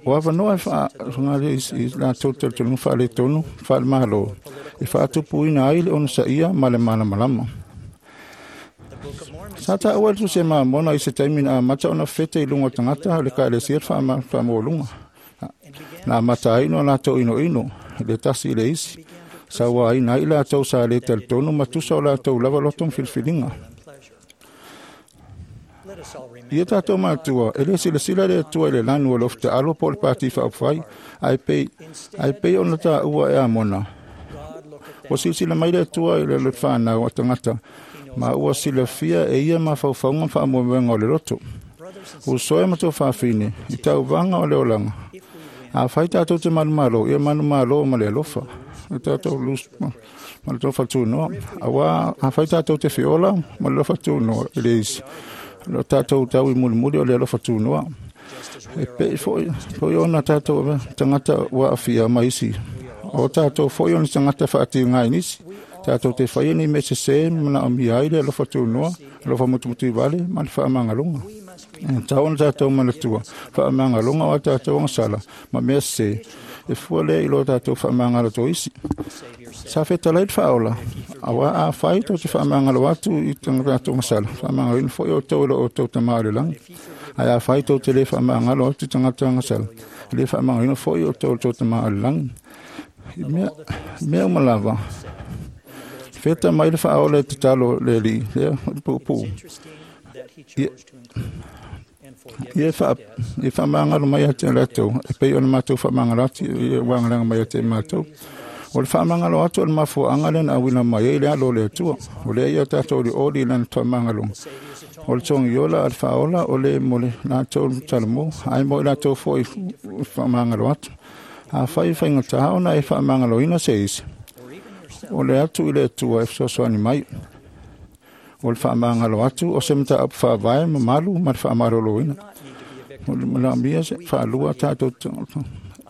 o avanoa e faaaoga i latou talitonuga faaletonu faalemalo e faatupuina ai le onosaia ma le malamalama. Sa taua le Tusi a Mamona i se taimi na amata ona fete i luga o tagata o le Ekalesia le faamaualuga. Na amata ai ona latou inoino i le tasi i le isi, sauaina ai i latou sa le talitonu ma tusa o latou lava loto ma filifiliga. Ia tatou matua, e le silasila le Atua i le lanu o le ofutaalo po o le pati faaupufai, ae pei, ae pei ona taua e Amona. Ua silasila mai le Atua i le whanau a tagata, ma ua silafia e ia mafaufauga ma faamoemoega o le loto. Usoe ma tō faafine, i tauvaga o le olaga. Afai tatou te manumalo, ia manumalo ma le alofa. O tatou lus ma le alofa tunoa. Auā afai tatou te feola ma le alofa tunoa i le isi. O tatou tau i mulimuli o le alofa tunoa. E pei foi, foi ona tatou tagata ua aafia ma isi. O tatou foi o ni tagata faatiga i nisi. Tatou te faia ni mea sesē ma manaomia ai le alofa tunoa, alofa mutumutuvale ma le faamagaloga. E tatau ona tatou manatua, faamagaloga o a tatou agasala ma mea sesē, e fua lea i lo tatou faamagalo to isi. Sa fetalai le faaola, auā afai tou te faamagalo atu i tatou agasala, faamagaloina foi outou e lo outou Tamā o le lagi. Ae afai tou te lē faamagalo atu i tagata agasala, e lē faamagaloina foi outou e lo tou Tamā o le lagi. I mea, mea uma lava, feta mai le faaola e tatalo le Alii, lea puupuu. Ia, ia wha, ia whaamangalo mai ate latou, e pei ona matou whaamangalo atu, ia wangalaga mai ate matou. O le whaamangalo atu o le mafuaanga lea na auina mai ai le alo o le Atua. O lea ia tatou olioli i lana whaamangaloga. O le togiola a le faaola o le mo le latou talamo, ae mo i latou foi whaamangalo atu. Afai e faigata ona e whaamangaloina se isi. O le atu i le Atua e fesoasoani mai. O le faamagalo atu o se mataupu faavae mamalu ma le faamaloloina. O le manaomia se faalua tatou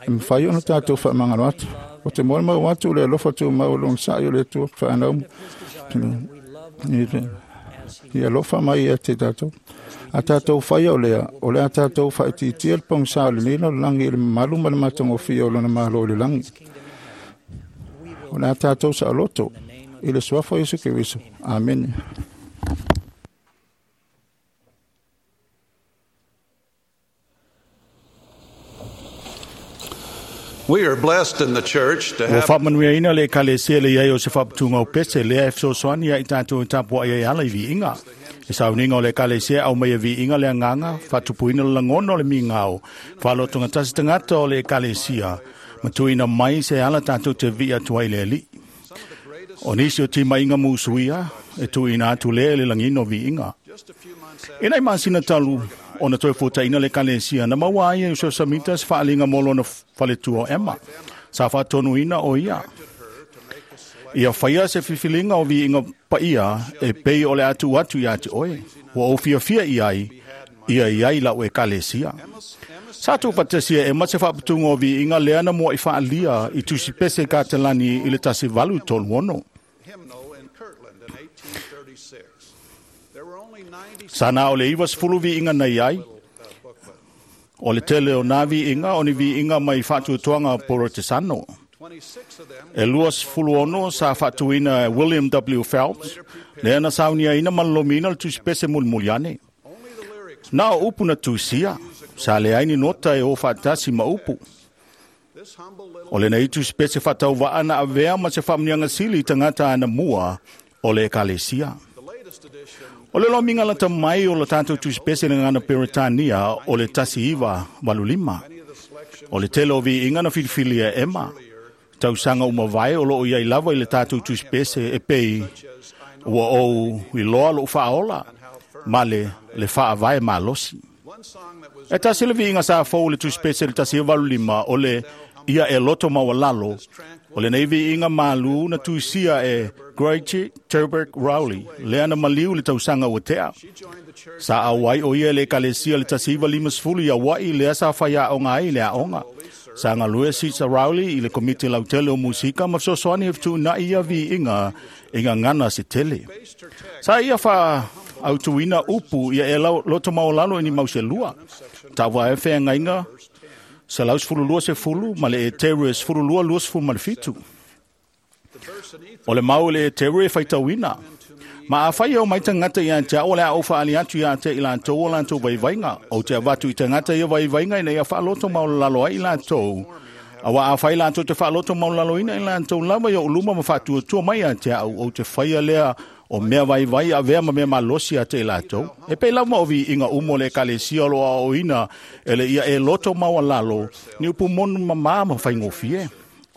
e mafai ona tatou faamagalo atu. O te molimau atu le alofa tumau o lona sa'i o le Atua whanau i alofa mai ia te tatou. A tatou faia o lea, o le a tatou faaitiitia le pogisa o lenei lalolagi i le mamalu ma le matagofie o lona malo i le lagi. O le a tatou saoloto i le suafa o Iesu Keriso. Amene. We are blessed in the church to Ua have faamanuiaina le Ekalesia le iai o se faaputuga o pese lea e fesoasoani ai tatou e tapuai ai ala i viiga. E sauniga o le Ekalesia au mai e viiga le agaga, faatupuina le lagona o le migao, faalotogatasi tagata o le Ekalesia, ma tuuina mai se ala tatou te vi'i atu ai le Alii. O nisi o timaiga musuia, e tuuina atu lea i le lagina o viiga. E nai masina talu ona toe fuataina le Ekalesia na maua ai e Joseph Samita se faaliga mo lona faletua o Emma. Sa faatonuina o ia. Ia faia se filifiliga o viiga paia e pei o le atu atu ia te oe. Ua ou fiafia i ai, ia i ai lau Ekalesia. Sa tuufaatasia e Emma se faaputuga o viiga lea na mua'i faalia i tusipese Katelani i le tasi valu tolu ono. Sa na o le iva sefulu viiga nei ai. O le tele o nā viiga o ni viiga mai faatuatuaga Porotesano. E lua sefulu ono sa faatuina e William W. Phelps, lea na sauniaina ma lolomiina le tusipese mulimuli ane. Na o upu na tusia, sa leai ni nota e o faatasi ma upu. O lenei tusipese faatauvaa na avea ma se faamuniaga sili i tagata anamua o le ekalesia. O le lomiga lata mai o le tatou tusipese le gagana Peretania o le tasi iva valu lima. O le tele o viiga na filifilia e Ema. Tausaga uma vae o loo iai lava i le tatou tusipese e pei ua ou iloa lou faaola ma le le faavae malosi. E tasi le viiga sa fou le tusipese le tasi valu lima o le ia e loto maualalo. O lenei viiga malu na tuisia e Gracie Turbert Rowley, lea na maliu le tausaga ua tea. Sa auai o ia le ekalesia le tasi iva lima sefulu i Auaʻi lea sa faiaoga ai le aoga. Sa galue Sisa Rowley i le komiti lautele o musika ma fesoasoani e fetuunaʻi ia viiga i gagana se tele. Sa ia faaautuina upu ia e loto maualalo i ni mauselua. Taua e feagaiga selau sefulu lua sefulu ma le Eteru e sefulu lua lua sefulu ma le fitu. O le mau le Eteru e faitauina. Ma afai e o mai tagata ia te au o le a ou faaali atu ia te i latou o latou vaivaiga. Ou te avatu i tagata ia vaivaiga ina ia faaloto maualalo ai i latou. Aua afai latou te faaloto maualaloina i latou lava i ou luma ma faatuatua mai ia te au, ou te faia lea o mea vaivai avea ma mea malosi ia te i latou. E pei lava ma o viiga uma o le ekalesia o loo aoaoina e le ia e loto maualalo ni upu monu mamā ma faigofie.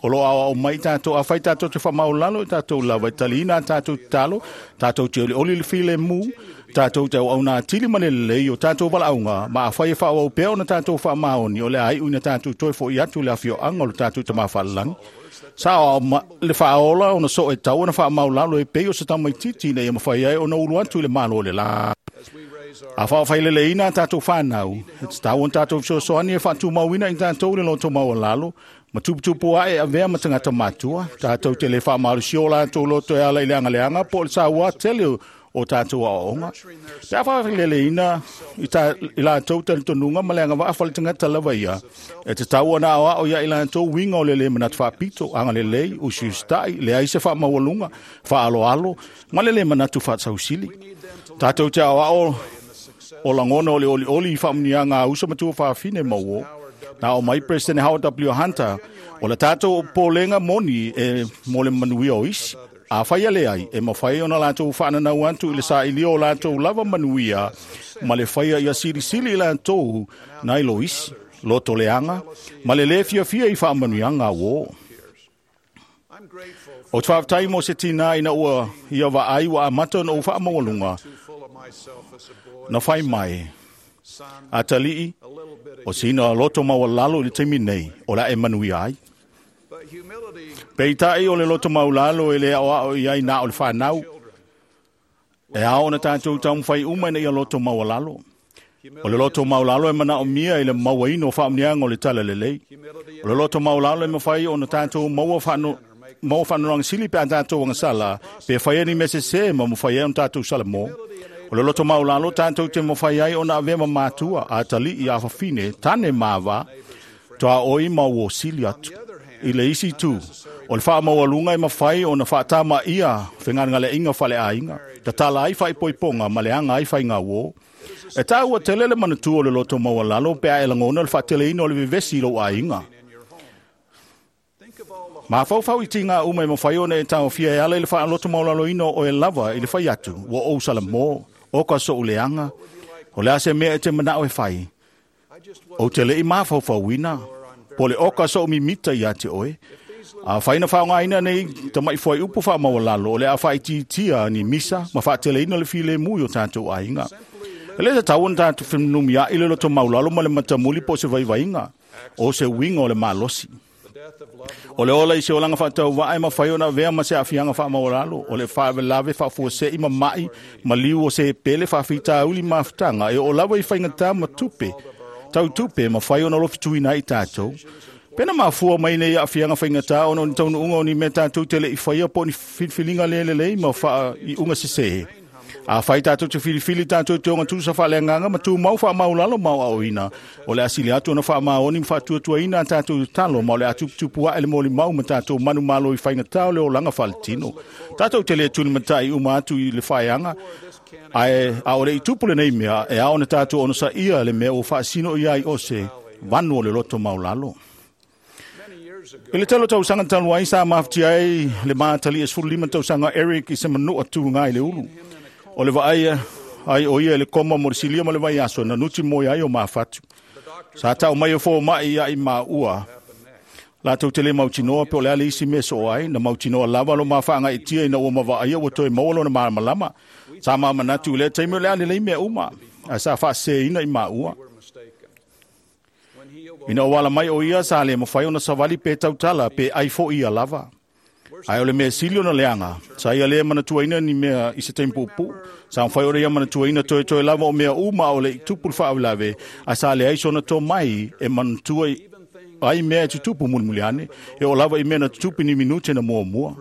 O loo aoao mai tatou afai tatou te faamaulalo i tatou lava e taliina a tatou tatalo, tatou te olioli le filemu, tatou te auauna atili ma le lelei o tatou valaauga, ma afai e faaauau pea ona tatou faamaoni o le a iu ina tatou toe foʻi atu le afioaga o le tatou Tamā Faalelagi. Sa o le faaola ona soo e tau ona faamaulalo e pei o se tamaititi ina ia mafai ai ona ulu atu i le malo o le la. A faafaileleina a tatou fanau, e tatau ona tatou fesoasoani e faatumauina i tatou le loto maualalo, ma tuputupu ae avea ma tagata matua, tatou te le faamalosia o latou loto e ala i le agaleaga po o le saua tele o tatou aoaoga. Pe a faafaileleina i, ta, i latou talitonuga ma le agavaa faletagata lava ia, e tatau ona aoao ia i latou uiga o le lē manatu faapito, agalelei, usiusitaʻi, leai se faamaualuga, faaaloalo, ma le lē manatu faasausili. Tatou te aoao o lagona o le olioli i faamuniaga a uso matua faafine ma uō. Na o mai President Howard W. Hunter, o le tatou polega moni e mo le manuia o isi. A fai ale ai, e mafai ona latou faananau atu i le sailia o latou lava manuia, ma le faia ia silisili i latou nai lo isi, loto leaga, ma le lē fiafia i faamanuiaga uō. O te faafetai mo se tinā ina ua ia vaai ua amata ona ou faamaualuga, na fai mai, atalii, o sina loto maualalo i le taimi nei, o la e manuia ai. Peitai o le loto maulalo e le aoao i ai na o le whanau. E ao na tātou taumawhai uma ina ia loto maualalo. O le loto maulalo e mana o mia i le mauaino whaamnianga o le tala lelei. O le loto maulalo e mawhai o na tātou maua whaano maua whanuranga sili pe a tātou angasala, pe whai ni mese se ma mwhai ai o tātou sala mō. O le loto maulalo tātou te mwhai ai o na avea ma mātua a tali i a whawhine, tane māwa, toa oi mau o sili atu. I le isi tu, o le whaamaualunga e mawhai o na whaatama ia whengananga le inga whale a inga, tatala ai whai poiponga ma le anga ai whai ngā wō. E tāua tele le manatu o le loto maualalo pe a e langona le whaatele ino o le vevesi i lou a inga. Ma whau i tinga uma e mawhai ona e tāofia e ala i le whaaloto maulalo ino o e lava i le whai atu, ua ou sala mō, o ka so uleanga, o le ase mea e te manao e whai. O te le i mawhauwhauina, po le oka so mimita ia te oe. A whaina whaongaina nei tamai fwai upu wha maualalo o le a whai titia ni misa ma whaateleina le file mui o tātou ainga. E le te tau tātou whenumia i le loto maulalo ma le matamuli po se vaivainga o se winga o le malosi. O le ola i se olanga whaatau vae ma whai ona vea ma se afianga wha maulalo. O le whaawelave whaafuase i mamai ma liu o se pele whaafita uli mafutanga e o lawa i whaingata ma tupe. Tau tupe ma whai ona lofituina i tātou. Pena mafua mai nei a fianga whaingata ono ni taunu unga o ni me tātou tele i whaia po ni filfilinga lele lei ma wha i unga se se. Afai tātou te filifili tātou te onga tusa whaaleanganga ma tū mau wha maulalo mau aoina. O le asili atu ona wha maoni ma whaatuatuaina a tātou talo ma o le atuputupu a ele moli mau ma tātou manu malo i whainga tau le o langa whaletino. Tātou te le tuni matai uma atu i le whaeanga. Ae a o le itupu le nei mea e ao na tātou ono sa ia le mea o whaasino ia i ose vanu o le loto maulalo. I le telo tausaga talu ai sa mafati ai le mātali e sefulu lima tausaga Eric i se manua tuga i le ulu. O le vaai ai o ia i le koma mo le silia ma le vaiaso na nuti moe ai o mafatu. Sa tau mai o fōma'i ia i maua. Latou te le mautinoa pe o le ale isi mea soo ai, na mautinoa lava lo mafaagaitia ina ua mavaaia ua toe maua lona malamalama. Sa mamanatu i lea taimi o le ale lei mea uma, ae sa faaseseina i maua. Ina o ala mai o ia sa le mawhai ona savali pe tautala pe ai fo ia lava. Ai o le mea sili ona leanga, sa ia lea manatuaina ni mea i se taimi puupuu. Sa mawhai ora ia manatuaina toe toe lava o mea uma o le i tupu le faalavelave, a sa leai sona tō mai e manatua ai mea e tutupu mulimuli ane, e o lava i mea na tutupu ni minute na muamua.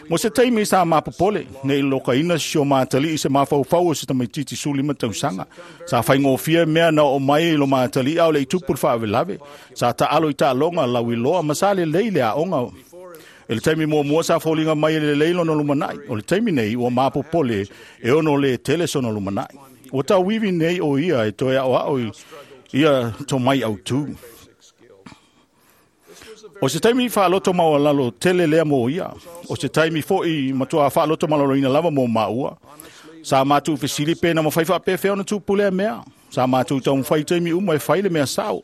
Mo se taimi sa mapopole, nei lokaina si o mātali i se mafaufau o se tamaititi sefulu lima tausaga. Sa whaingofia mea na o mai i lo mātali au le i tupu le faalavelave. Sa taalo i taaloga lauiloa ma sa lelei le aoga. E le taimi muamua sa foliga mai e lelei lona lumanai. O le taimi nei ua mapopole e ono le tele sona lumanai. Ua tauivi nei o ia e toe aoao i ia tō mai autū. O se taimi whaaloto maualalo tele lea mō ia. O se taimi fo'i matua whaaloto malaloina lava mō maua. Sa mātou fesili pēna mawhai whaapewhea ona tūpu lea mea. Sa mātou taumawhai taimi uma e whai le mea sao.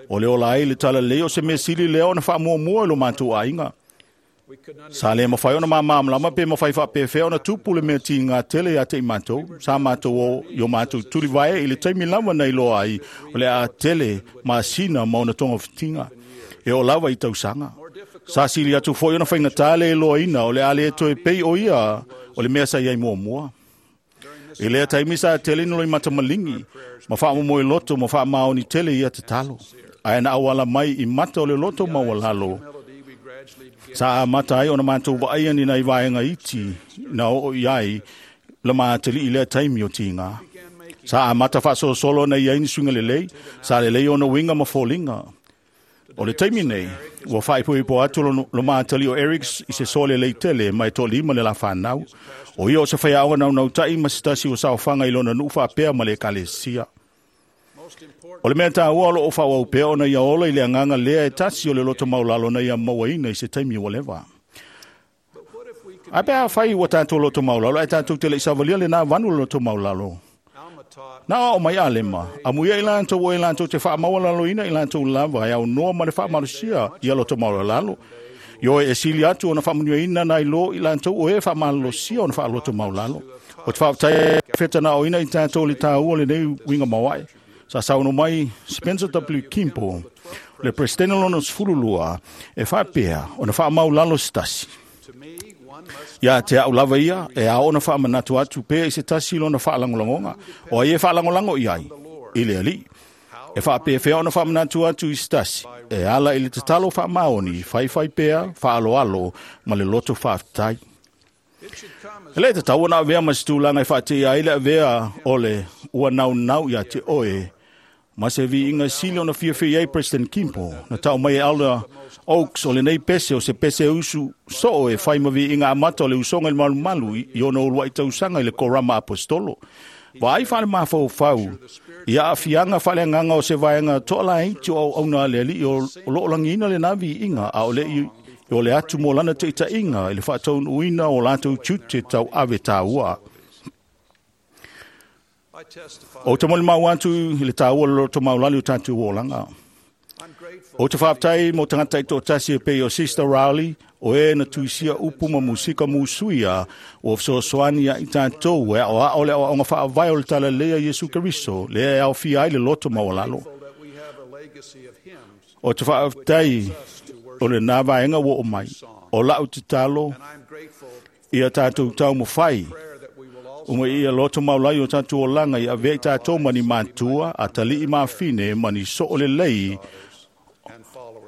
O le ola ai le tala lei o se mea sili lea ona whaamuamua i lo mātou ainga. Sa le mawhai ona māmāmlama pe mawhai whaapewhea ona tūpu le mea tīngā tele ia te i mātou. Sa mātou o i o mātou turivae i le taimi lava nei loa ai o le a tele masina ma ona tonga whitinga. E o lava i tausaga. Sa sili atu foi ona whaingatā le loaina o le ale e toe pei o ia o le mea sa iai muamua. I lea taimi sa tele nolo i matamalingi, ma whaamomoe loto ma whaamaoni tele ia te talo. Ae na awala mai i mata o le loto maualalo. Sa a mata ai ona mātou vaai ani nai vaenga iti na o i ai la mātali i lea taimi o tīngā. Sa a mata whaasosolo na ia ini suinga lelei, sa lelei ona winga ma fōlinga. O le taimi nei, ua whaipoipo atu lo, lo mātali o Erics i se sole lei tele mai tō lima le la whanau. O ia o se whaiaoga nau nautai ma se tasi o saofanga i lona nuu whaapea ma le ekalesia. O le mea tāua o lo o whawau pea ona ia ola i le anganga lea e tasi o le loto maulalo na ia mauaina i se taimi ua leva. Ai pea whai ua tātou loto maulalo, ai tātou te le isavalia le nā vanu le loto maulalo. Nā o mai a lema, a muia i lantou o i lantou te whaamaualalo ina i lantou lava, e au noa ma le whaamalusia i a loto maulalo. Io e sili atu ona whaamunua ina nai lo i lantou o e whaamalosia ona whaaloto maulalo. O te whaaptai whetana o ina i tātou le tāua le nei winga mawai. Sa sauno mai Spencer W. Kimpo, le presidente lona sefulu lua, e whaapea ona whaamaulalo se tasi. Ia te au lava ia, e a ona whaamanatu atu pea i se tasi lona whaalangolangonga, o ai e whaalangolango i ai, i le ali. E whaapewhea ona whaamanatu atu i se tasi, e ala i le tatalo whaamaoni, whaiwhai pea, whaaloalo, ma le loto whaaftai. E le tatau ona avea ma se tūlanga e whaatea ai le avea o le ua nau nau ia te oe, ma se viinga sili ona fiafia ai President Kimpo, na tau mai e Elder Oaks o le nei pese o se pese usu soo e whai ma viinga amata o le usonga i le malumalu i ona ulua i tausaga i le korama apostolo. Wa ai whale mawhau i a afianga whale nganga o se vaenga toa laiti o auna le ali o loolangina le na viinga a o le i o le atu mo lana te itainga i le whaataun uina o lātou tute tau ave tāua. O te moli mau atu i le tāua le loto maulali o tātou olanga. O te whaaptai mo tangata i tō tasi e pei o Sister Rowley, o e na tuisia upu ma musika musuia o fesoasoani ia i tātou e o ao le aoaoga faavae o le talalea Iesu Keriso, lea e aofia ai le loto maualalo. O te whaaptai o le nā vaenga ua o mai, o lau te talo ia tātou tau mawhai, uma ia loto maulai o tātou olanga i avea i tātou mani mātua, a tali'i mawhine mani so'o lelei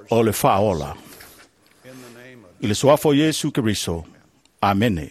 o le whaola. I le suafo Iesu Keriso. Amene.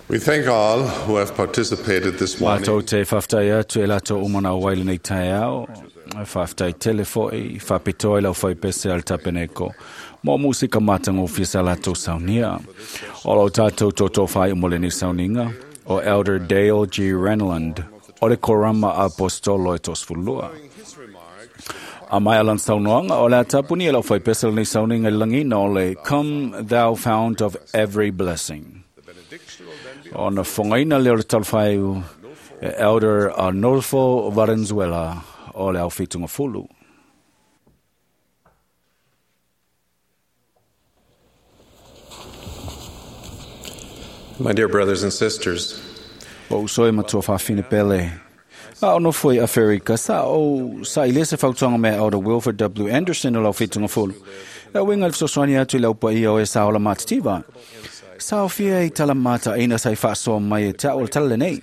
We thank all who have participated this morning. Mātou te whaftai atu e lato umana o waile nei tae ao. Whaftai telefoi, whapitoa i lau whaipese al tapeneko. Mo musika matango fisa lato saunia. O lau tātou toto whai umole ni sauninga. O Elder Dale G. Renlund. O le korama apostolo e tosfulua. A mai alan saunoanga o le atapuni e lau whaipese ni sauninga i langina o le Come Thou Fount of Every Blessing. Ona whangaina leo le talwhaiu Elder Arnolfo Valenzuela o le au whitunga fulu. My dear brothers and sisters, O usoi matua whawhine pele. A ono foi a Ferika sa o sa i lese whautuanga mea Elder Wilford W. Anderson o lau whitunga fulu. E winga le fesoasoani atu i lau paia o e sa ola matativa. Sa o fia i tala mata ina sa i whaasoa mai e te o le tala lenei.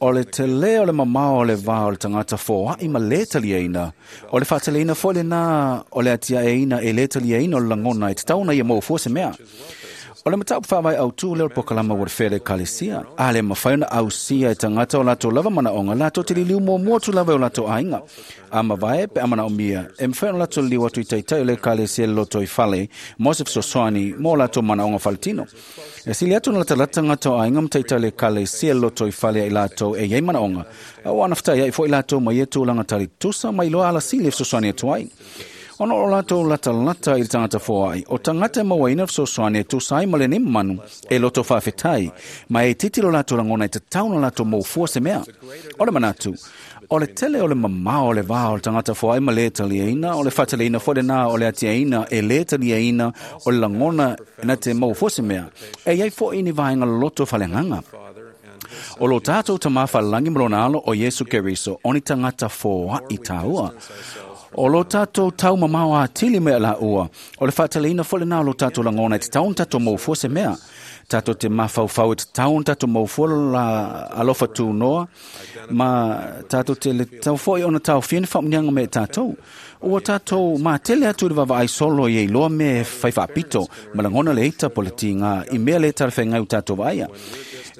O le te leo le mamao o le vā o le tangata fōa i ma le talia ina. O le whaatale ina fo le nā o le atia e ina e le talia ina o le langona i te tauna ia mō fua se mea. O le matau whawai au tū leo pokalama wa whele kalesia. A le mawhaiona au sia e tangata o lato lava mana onga lato te liliu mō mua tu lava o lato ainga. A mawae pe amana o mia. E mwhaiona lato liu atu i taitai o le kalesia le loto i whale. Mosef sosoani mō lato mana onga whaletino. E sili atu na lata lata ngata o ainga mtaitai le kalesia le loto i whale i lato e iei mana onga. A o anaftai ai fo i lato mai e tūlanga tali tusa mai loa ala sili sosoani atu ai. Ona o lato lata lata i tangata foai. O tangata mawaina fesoasoani e tusa ai ma le manu e loto whawhetai. Ma e titilo lato langona i te tauna lato mō fua se mea. O le manatu, o le tele o le mamao o le vā o le tangata foai ma le taliaina, o le whataleina fo le nā o le atiaina e le taliaina o le langona na te mō fua se mea. E iai fo ini vaenga loto whalenganga. O lo tātou ta mawhalangi mlona alo o Yesu Keriso, oni tangata foa i tāua. O lo tātou tau mamao a tili mea la ua. O le whaataleina fole nā lo tātou langona i te taun tātou mō se mea. Tātou te mawhauwhau i te taun tātou mō la alofa tūnoa. Ma tātou te le tau foi ona tau whiene whamunianga me tātou. Ua tātou mā tele atu le wawa ai solo i loa me whaiwhapito. Ma langona le ita po le tinga i mea le tarwhengai u tātou vaia.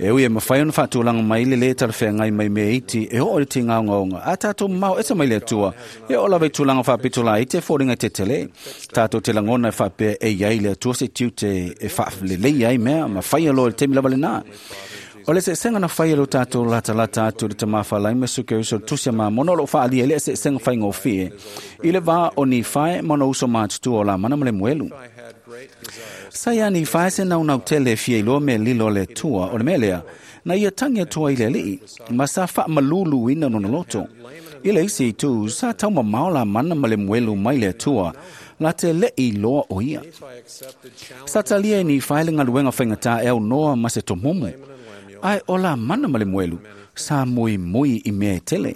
E ui e mawhai ona whaatulanga mai le le tarwhengai mai me iti e o le tinga onga. A tātou mau esa mai le atua. E o lawe tūlanga whapito la i te fōringa te tele. Tātou te langona e whapea e iai le atua se tiute e whaalelei ai mea ma whaia loa le temi lava le nā. O le se senga na whaia lo tātou lata lata atu le tamawha lai me suke uso tusia mā mono lo whaalia le se senga whai ngōwhie. I le vā o ni whae mono uso mātutu o la mana male muelu. Sa ia ni whae se nau nau tele fia i loa me lilo le tua o le melea. Na ia tangi atua i le alii, ma sa wha malulu ina nona loto. I le isi i tū, sa tau mamao la mana male muelu mai le atua, la te le i loa o ia. Sa talia ni whae le ngaluenga whaingata e au noa ma se tomumu. Ai o la mana male muelu, sa mui mui i mea e tele.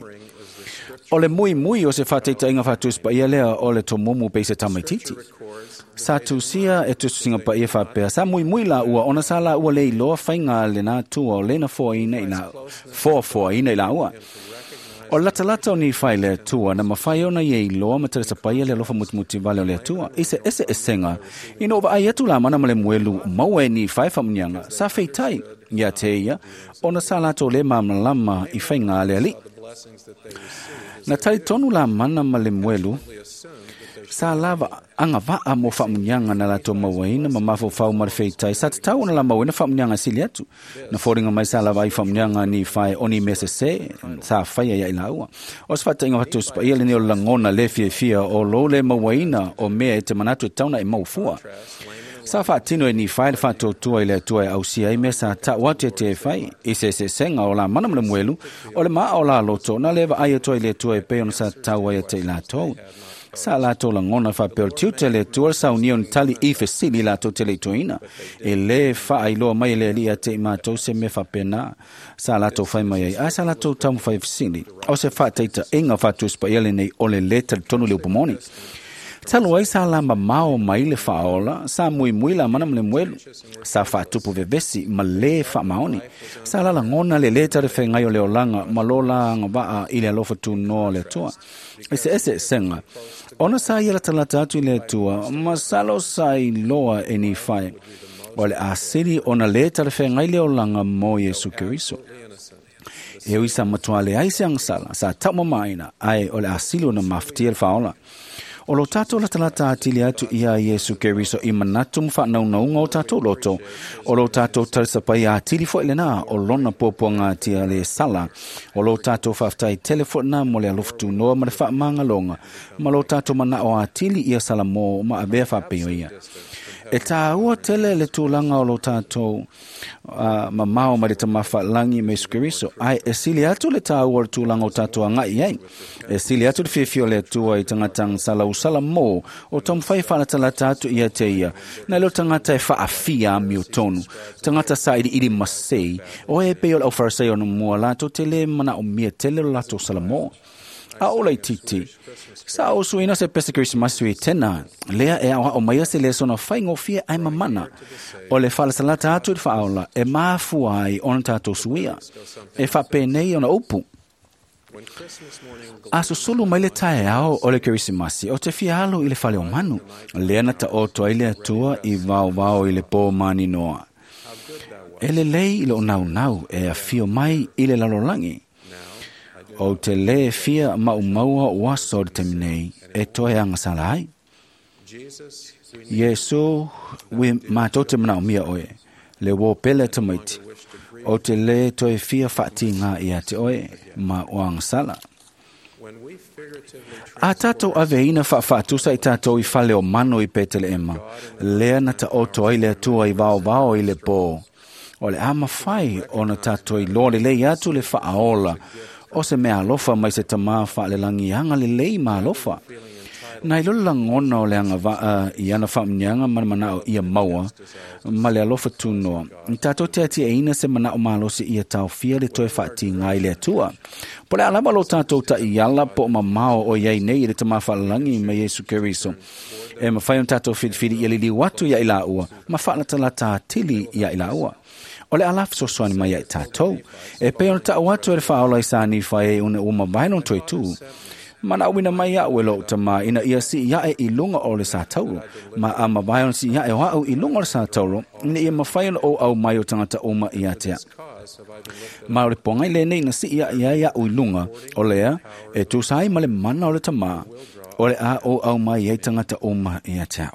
O le mui mui o se whateita inga whatuspa ia lea o le tomumu pe se tamaititi. Sa tusia e tusinga pa ia whapea, sa mui mui la ua, ona sa la ua le iloa whainga le nā tua o lena foa ina i la, foa foa ina i la ua. O lata lata o ni whai le atua, na mawhai ona ia iloa ma tere sapaia le alofa mutimuti vale o le atua. Ise ese esenga, ina ova ai atu la mana male muelu maua e ni whai whamunianga, sa whitai ia te ia, ona sa lato le mamalama i whainga le ali. Na tari tonu la mana ma le muelu, sa lava anga vaa mo whamunianga na lato mauaina ma mafofau ma le whitai, sa te tau ona la mauaina whamunianga sili atu. Na fōringa mai sa lava i whamunianga ni whai oni mese se, sa whaia ia i la ua. O se whata inga whatu spa ia le neo langona le fia fia o lo le mauaina o mea e te manatu e tauna e maufua. Sa whaatino e ni whai le whaatautua i le atua e ausia i mesa ta wate te whai i se se senga o la mana mle muelu o le maa o la loto na lewa ai atua i le atua e pe ona sa taua i te i latou. Sa latou langona whapeo tiute le atua sa unio ni tali i fesili latou te le ituina. E le whaailoa mai le lia te i mātou se me whapena sa latou whai mai ai. A sa latou tamu whai fesili. O se whaateita inga whaatuspa ia le nei o le leta tonu le upamoni. Talo ai sa la mamao mai le whaola, sa mui mui la mana mle mwelu, sa whaatupu vevesi ma le whaamaoni, sa la langona le leta le whengai o le olanga, ma lola anga waa i le alofa tūnoa le atua. Ese ese senga, ona sa ia lata lata atu i le atua, ma salo sa i loa e ni whae. O le asili ona le talafeagai le olaga mo Iesu Keriso. E ui sa matua leai se agasala, sa taumamaina, ae o le asili ona mafatia le faaola. O lo tātou latalata atili atu ia Iesu Keriso i manatu ma whaanaungaunga o tātou loto. O lo tātou talisapai atili fo lena o lona puapuaga atia le sala. O lo tātou whaaftai tele fo na mo le alofutu noa ma le whaamangaloga. Ma lo tātou mana o atili ia sala mō ma avea whaapeo ia. E tāua tele le tūlanga o lo tātou uh, mamao ma le tamafa langi me Iesu Keriso. Ai e sili atu le tāua o le tūlanga o tātou angai ai. E sili atu le fiafia o le Atua i tangatanga sala usala mō o taumafai faalatalata atu ia te ia. Na leo tangata e faafia amio tonu. Tangata sa ili ili masei. O e pei o le aufarasai o mua latou te le mana o mia tele o latou sala mō. A ola i titi. Sa o suina se pese Christmas i tena. Lea e au o maia se lesona whaingofia ai mamana. O le whalasalata atu i whaola e maafua ai ona tātou suia. E whapenei ona upu. A susulu mai le taeao o le Kerisimasi o te fia alu i le fale o manu. Lea na ta oto ai le Atua i vao vao i le pō mani noa. E le lei i lo nau nau e a fio mai i le lalolangi. O te le fia maumaua o aso o le taimi nei e toe agasala ai. Iesu ui mātou te manaomia oe, le uō pele tamaiti. O te le toe fia whaatinga ia te oe ma o agasala. A tātou aveina whaawhaatusa i tātou i fale o mano i Peteleema, lea na ta oto ai le Atua i vao vao i le pō. O le ama whai o na tātou i loa le lei atu le whaaola, o se mea alofa mai se tamā whaalelangi anga le lei ma alofa. Na i lolo langona o le anga waa i ana whaamnianga mana manao ia maua, ma le alofa tūnoa. I tātou te ati e ina se manao malosi ia taofia le toe whaati ngai le Atua. Po le alama lo tātou ta i ala po mamao o iai nei i le tamā whaalalangi me Iesu Keriso. E mawhai on tātou whiriwhiri ia lili watu ia i la ua, ma whaalatalata tili ia i la ua. O le alaf sosoani mai ai tātou. E pe ona tau atu e le whaola i sāni whae une uma vaino toi tū. Mana uina mai au e lou tama ina ia si ia e i lunga o le sātauro. Ma a mawai ona si ia e o au i lunga o le sātauro, ina ia mawhai ona o au mai o tangata uma i atea. Ma o le pongai le nei na si ia ia ia u i lunga, o lea e tūsai ma le mana o le tama, o le a o au mai e tangata uma i atea.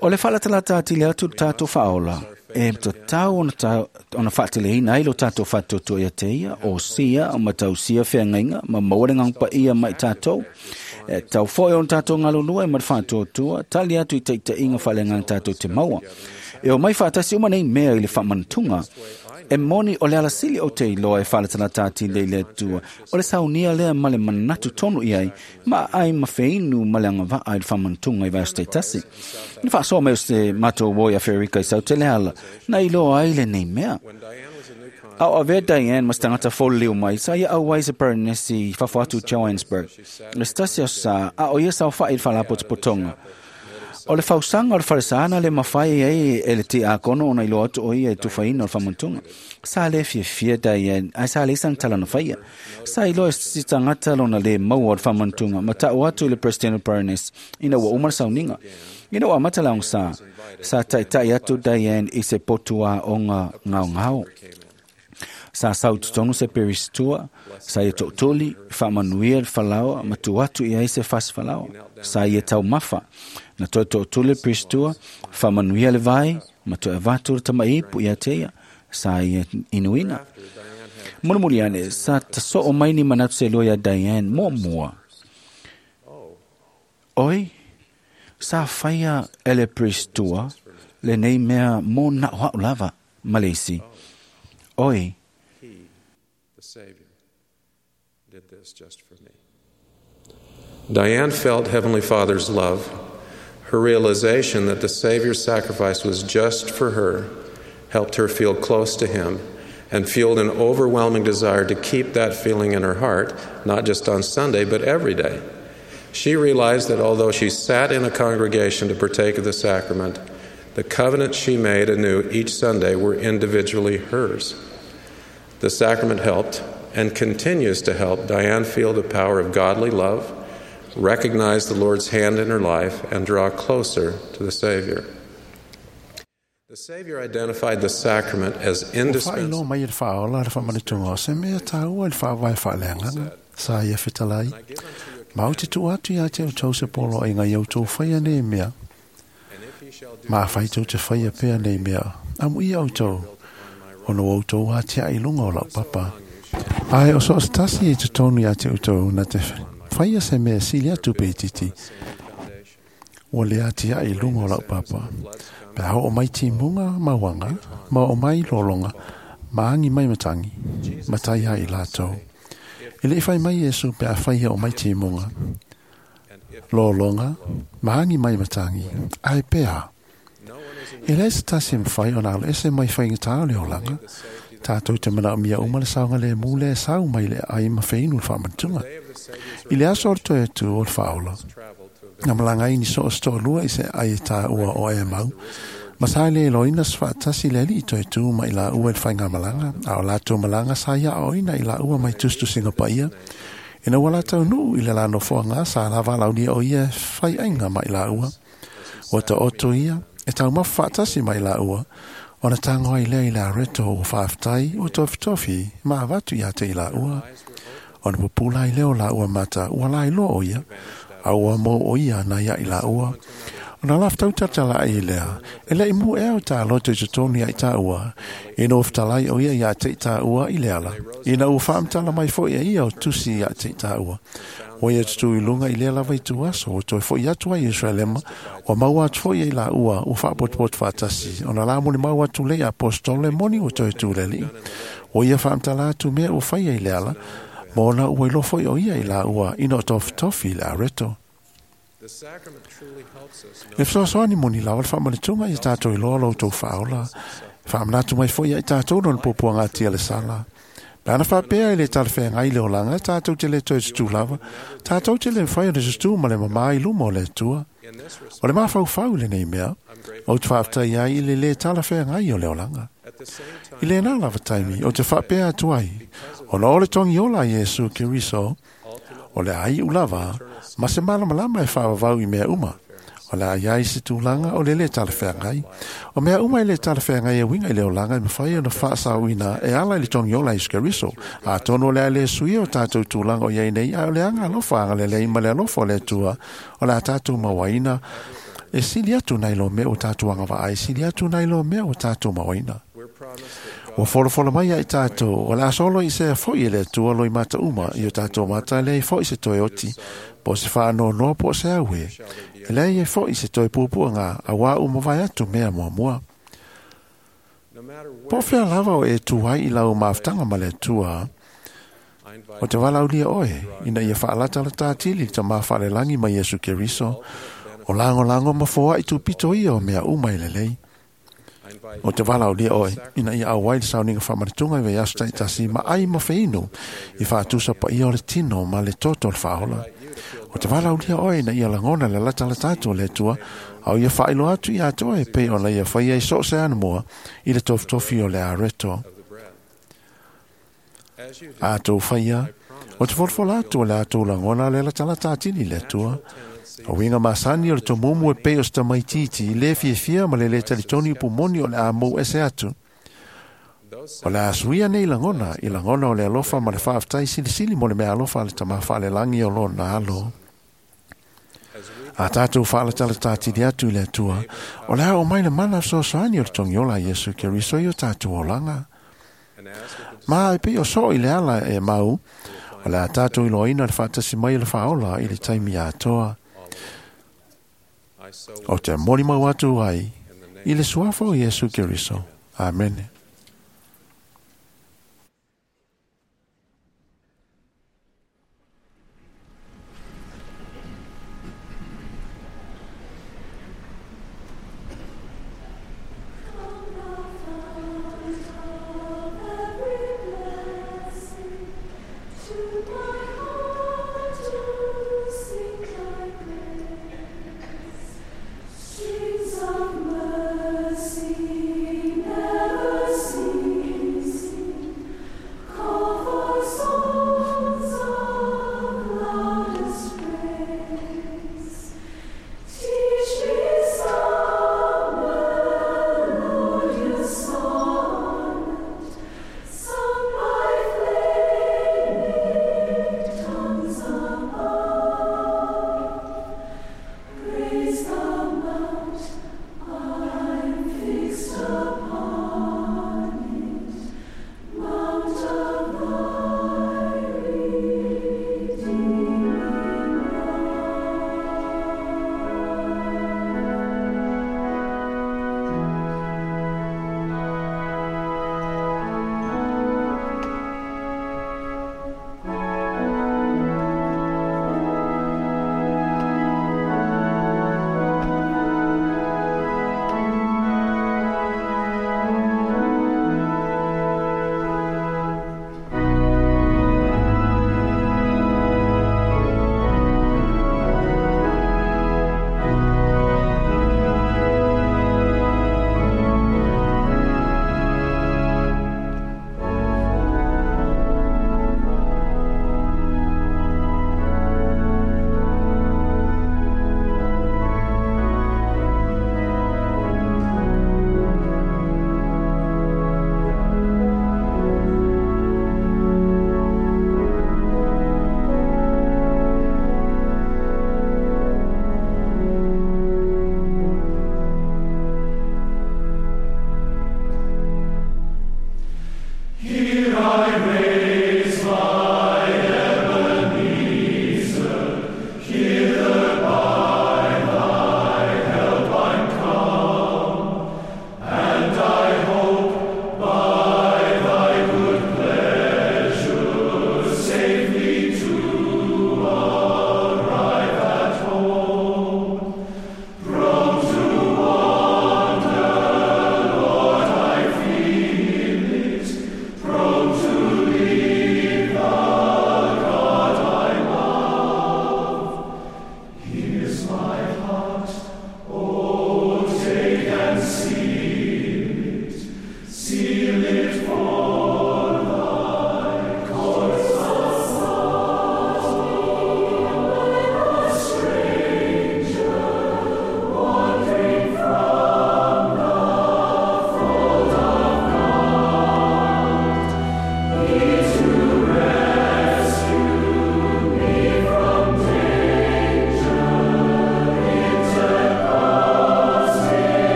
O le whaalatalata atili atu tātou whaola, e tatau ona, ta, ona whaateleina ai lo tātou whaatoto ia te ia, o sia, o matau sia wheangainga, ma maua le ngangpa ia mai tātou. E tau foi ona tātou ngalulua e ma le whaatotoa, tali atu i teitainga whalengang tātou te maua. E o mai whaatasi uma nei mea i le whamantunga, e moni o le alasili o te iloa e whaalatalata atili le Atua, o le saunia lea ma le manatu tonu iai, ma ai mawheinu ma le angawaa i le whamantunga i vaeso teitasi. Ni whaasoa mai o se mātou woi a Ferika i sau te leala, na iloa ai le nei mea. Au avea Diane mas tangata fōleu mai, sa ia au ai se Paranesi i fafo atu Johannesburg. Le stasi o sa, a o ia sau wha i le whalapotopotonga. O le fausanga o le faresana le mawhai ai e le te akono ona iloa atu o ia e tuwhaina o le whamantunga. Sa le fiafia Diane, ai sa le isang talana whaia. Sa iloa e si tangata lona le maua o le whamantunga, ma tau atu i le President o Paranes, ina ua umara sauninga. Ina ua matalaung sa, sa taitai atu Diane i se potua o ngā ngao ngao. Sa sau tutonu se peristua, sa ia to'otoli, whaamanuia le falaoa, ma tu atu i ai se fasi falaoa. Sa ia taumafa, na toe to'otoli le peristua, whaamanuia le vai, ma toe avatu le tamaipu ia te ia, sa ia inuina. Mulimuli ane, sa tasoo mai ni manatu se lua ia Diane mua mua. Oi, sa whaia e le peristua, le nei mea mō na'o ha'u lava, Malesi. Oi, the Savior, did this just for me. Diane felt Heavenly Father's love. Her realization that the Savior's sacrifice was just for her helped her feel close to Him and fueled an overwhelming desire to keep that feeling in her heart, not just on Sunday, but every day. She realized that although she sat in a congregation to partake of the sacrament, the covenants she made anew each Sunday were individually hers. The sacrament helped and continues to help Diane feel the power of godly love, recognize the Lord's hand in her life, and draw closer to the Savior. The Savior identified the sacrament as Ua faailoa indispensable. mai e le faaola le faamanatuga o se mea tāua i le faavae faaleagaga sa ia fetalai. Ma ou te tuu atu iā te outou se poloaiga ia outou faia nei mea. Ma afai tou te faia pea nei mea, amuia outou, ona ua outou atiae i luga o lau papa. Ae o so o se tasi e totonu iā te outou na te faia se mea sili atu pe itiiti, ua le atiae i luga o lau papa. Pe a oo mai timuga ma uaga, ma oo mai lologa, ma agi mai matagi, matai ai i latou. E leʻi fai mai Iesu pe afai e oo mai timuga, lologa, ma agi mai matagi, ae pea. E leai se tasi e mafai ona aloese mai faigatā o le olaga, tātou te manaomia uma le saogalēmū lea e sau mai le aai ma feinu le faamanatuga. I le aso o le toe atu o le faaola, na malaga ai ni so o se toalua i se aai e tāua o Emau, ma sa le iloina se faatasi le alii toe tu ma i laua i le faigamalaga, a o latou malaga sa ia aoina i laua mai tusitusiga paia, ina ua latou nuu i le la nofoaga sa lava laulia o ia e faiaiga ma i laua. Ua taoto ia, e taumafa faatasi ma i laua, ona tago ai lea i le areto ua faafetai, ua tofitofi, ma avatu iā te i laua. Ona pupula ai lea o laua mata, ua lailoa o ia, a ua mau o ia na ia i laua. Ona lafetau tatalai ai lea, e leʻi mu ea o tāloto i totonu ia i tāua, ina ua fetalai o ia iā te i tāua i le ala, ina ua faamatala mai foʻi e ia o tusi iā te i tāua. Ua ia tutū i luga i lea lava i tuaso, ua toe foʻi atu ai i Ierusalema, ua maua atu foʻi ai laua, ua faapotopoto faatasi, ona la molimau atu lea i aposetolo e moni ua toe tu le alii. Ua ia faamatala atu mea ua faia i le ala, ma ona ua iloa foʻi o ia i laua ina o tofitofi i le areto. The sacrament truly helps us E fesoasoani moni lava le faamanatuga ia tātou iloa lo outou faaola. Faamanatu mai foʻi ia i tātou lona puapuaga atia le sala. Pe ana faapea e le talafeagai le olaga, tātou te le toe tutū lava, tātou te le mafai ona tutū ma le mamā i luma o le Atua. O le mafaufau i lenei mea, ou te faafetai ai i le lē talafeagai o le olaga. I lena lava taimi, ou te faapea atu ai, ona o le togi ola a Iesu Keriso, o le a iu lava, ma se malamalama e faavavau i mea uma. O le a iai se tulaga o le lē talafeagai. O mea uma e lē talafeagai e uiga i le olaga e mafai ona faasaoina e ala i le togi ola a Iesu Keriso. Atonu o le a lē suia o tātou tulaga o iai nei, ae o le aga alofa agalelei ma le alofa o le Atua, o le a tātou mauaina, e sili atu nai lo mea o tātou agavaa, e sili atu nai lo mea o tātou mauaina. Ua folafolamai ia i tātou, o le a solo i sea foʻi e le Atua loi mata uma, i o tātou mata e leai foʻi se toe oti, po o se faanoanoa po o se auē. E leai ai foʻi se toe puapuaga, auā ua mavae atu mea muamua. Po o fea lava o e tu ai i lau mafutaga ma le Atua, o te valaaulia oe, ina ia faalatalata atili le tamā faalelagi ma Iesu Keriso, o lagolago ma foaʻi tupito ia o mea uma e lelei. O te valaaulia oe, ina ia auai le sauniga faamanatuga i vaiaso taitasi ma ai ma feinu i faatusa paia o le tino ma le toto o le faaola. O te valaaulia oe ina ia lagona le latalata atu o le Atua, a o ia faailoa atu iā te oe pei ona ia faia i so o se anamua i le tofitofi o le areto. A tou faia, o te folafola atu o le a tou lagona le latalata atili i le Atua. O uiga masani o le tomumu e pei o se tamaitiiti, lē fiafia ma le lē talitonu i pumoni o le a mou ese atu. O le a suia nei lagona, i lagona o le alofa ma le faafetai silisili mo le mea alofa a le tamā faalelagi o lona alo. A tātou faalatalata atili atu i le Atua, o le a oo mai le mana fesoasoani o le togiola a Iesu Keriso i o tātou olaga. Ma e pei o soo i le ala e mau, o le a tātou iloaina le faatasi mai o le faaola i le taimi atoa. O te molimau atu ai i le suafa o Iesu Keriso. Amene. Streams of mercy never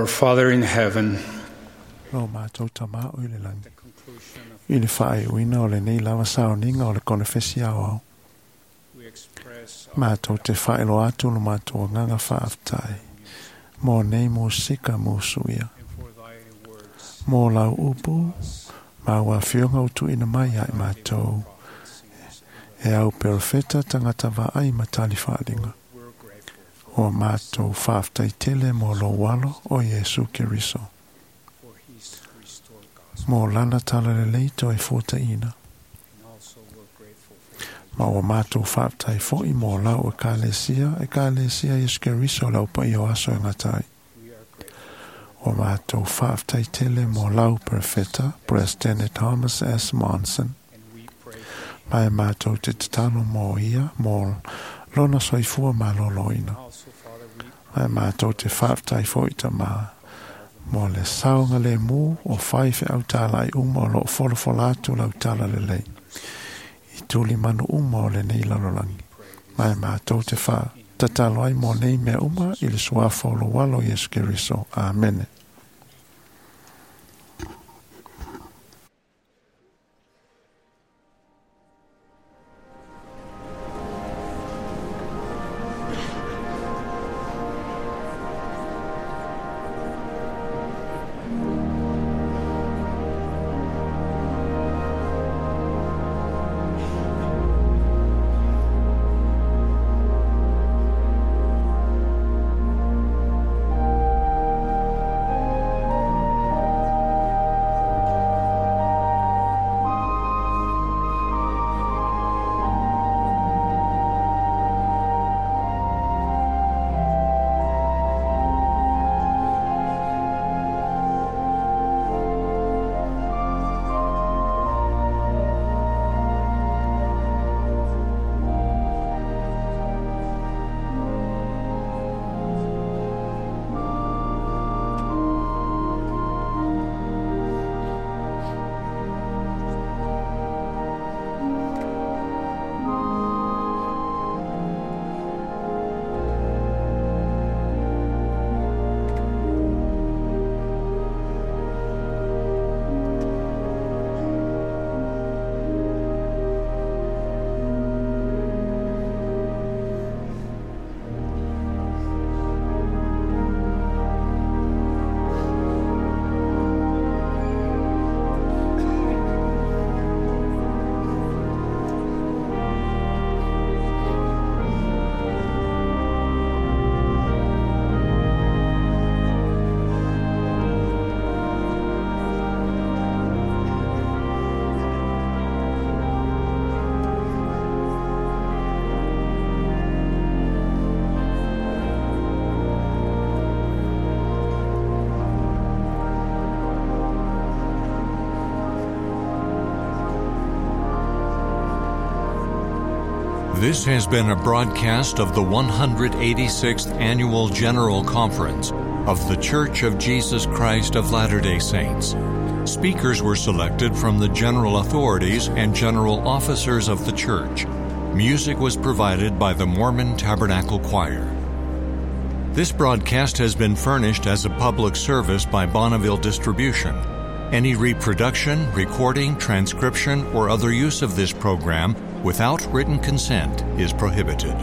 Our Father in heaven, Lo mātou tamā o i le langi. I le whaaiuina o le nei lava saoniga o le konefesi aoao. Mātou te whaelo atu lo mātou nganga whaaftai. Mō nei mō sika mō suia. Mō lau upu, mā wā whionga o tuina mai ai mātou. E au perofeta tangata vaai matali whaalinga. O mātou whaaftai tele mō lo walo o Iesu Keriso. Mō lana tala le leito e fōta ina. Ma o mātou whaaftai fo'i mō lau e kālesia, e kālesia Iesu Keriso lau pa i o aso e ngatai. O mātou whaaftai tele mō lau perfeta, President Thomas S. Monson. Mai mātou te tatalo mō ia, mō lona soifua mā loloina. Mai mātou te whaaftai fo'i ta mā. Mō le saunga le mū o whai whe au tāla i uma o lo folofola atu lau tāla le lei. I tuli manu uma o le nei lalolangi. Mai mātou te wha tatalo ai mō nei mea uma i le suafa o lo walo Iesu Keriso. Amene. This has been a broadcast of the one hundred eighty-sixth Annual General Conference of The Church of Jesus Christ of Latter-day Saints. Speakers were selected from the general authorities and general officers of the church. Music was provided by the Mormon Tabernacle Choir. This broadcast has been furnished as a public service by Bonneville Distribution. Any reproduction, recording, transcription, or other use of this program without written consent is prohibited.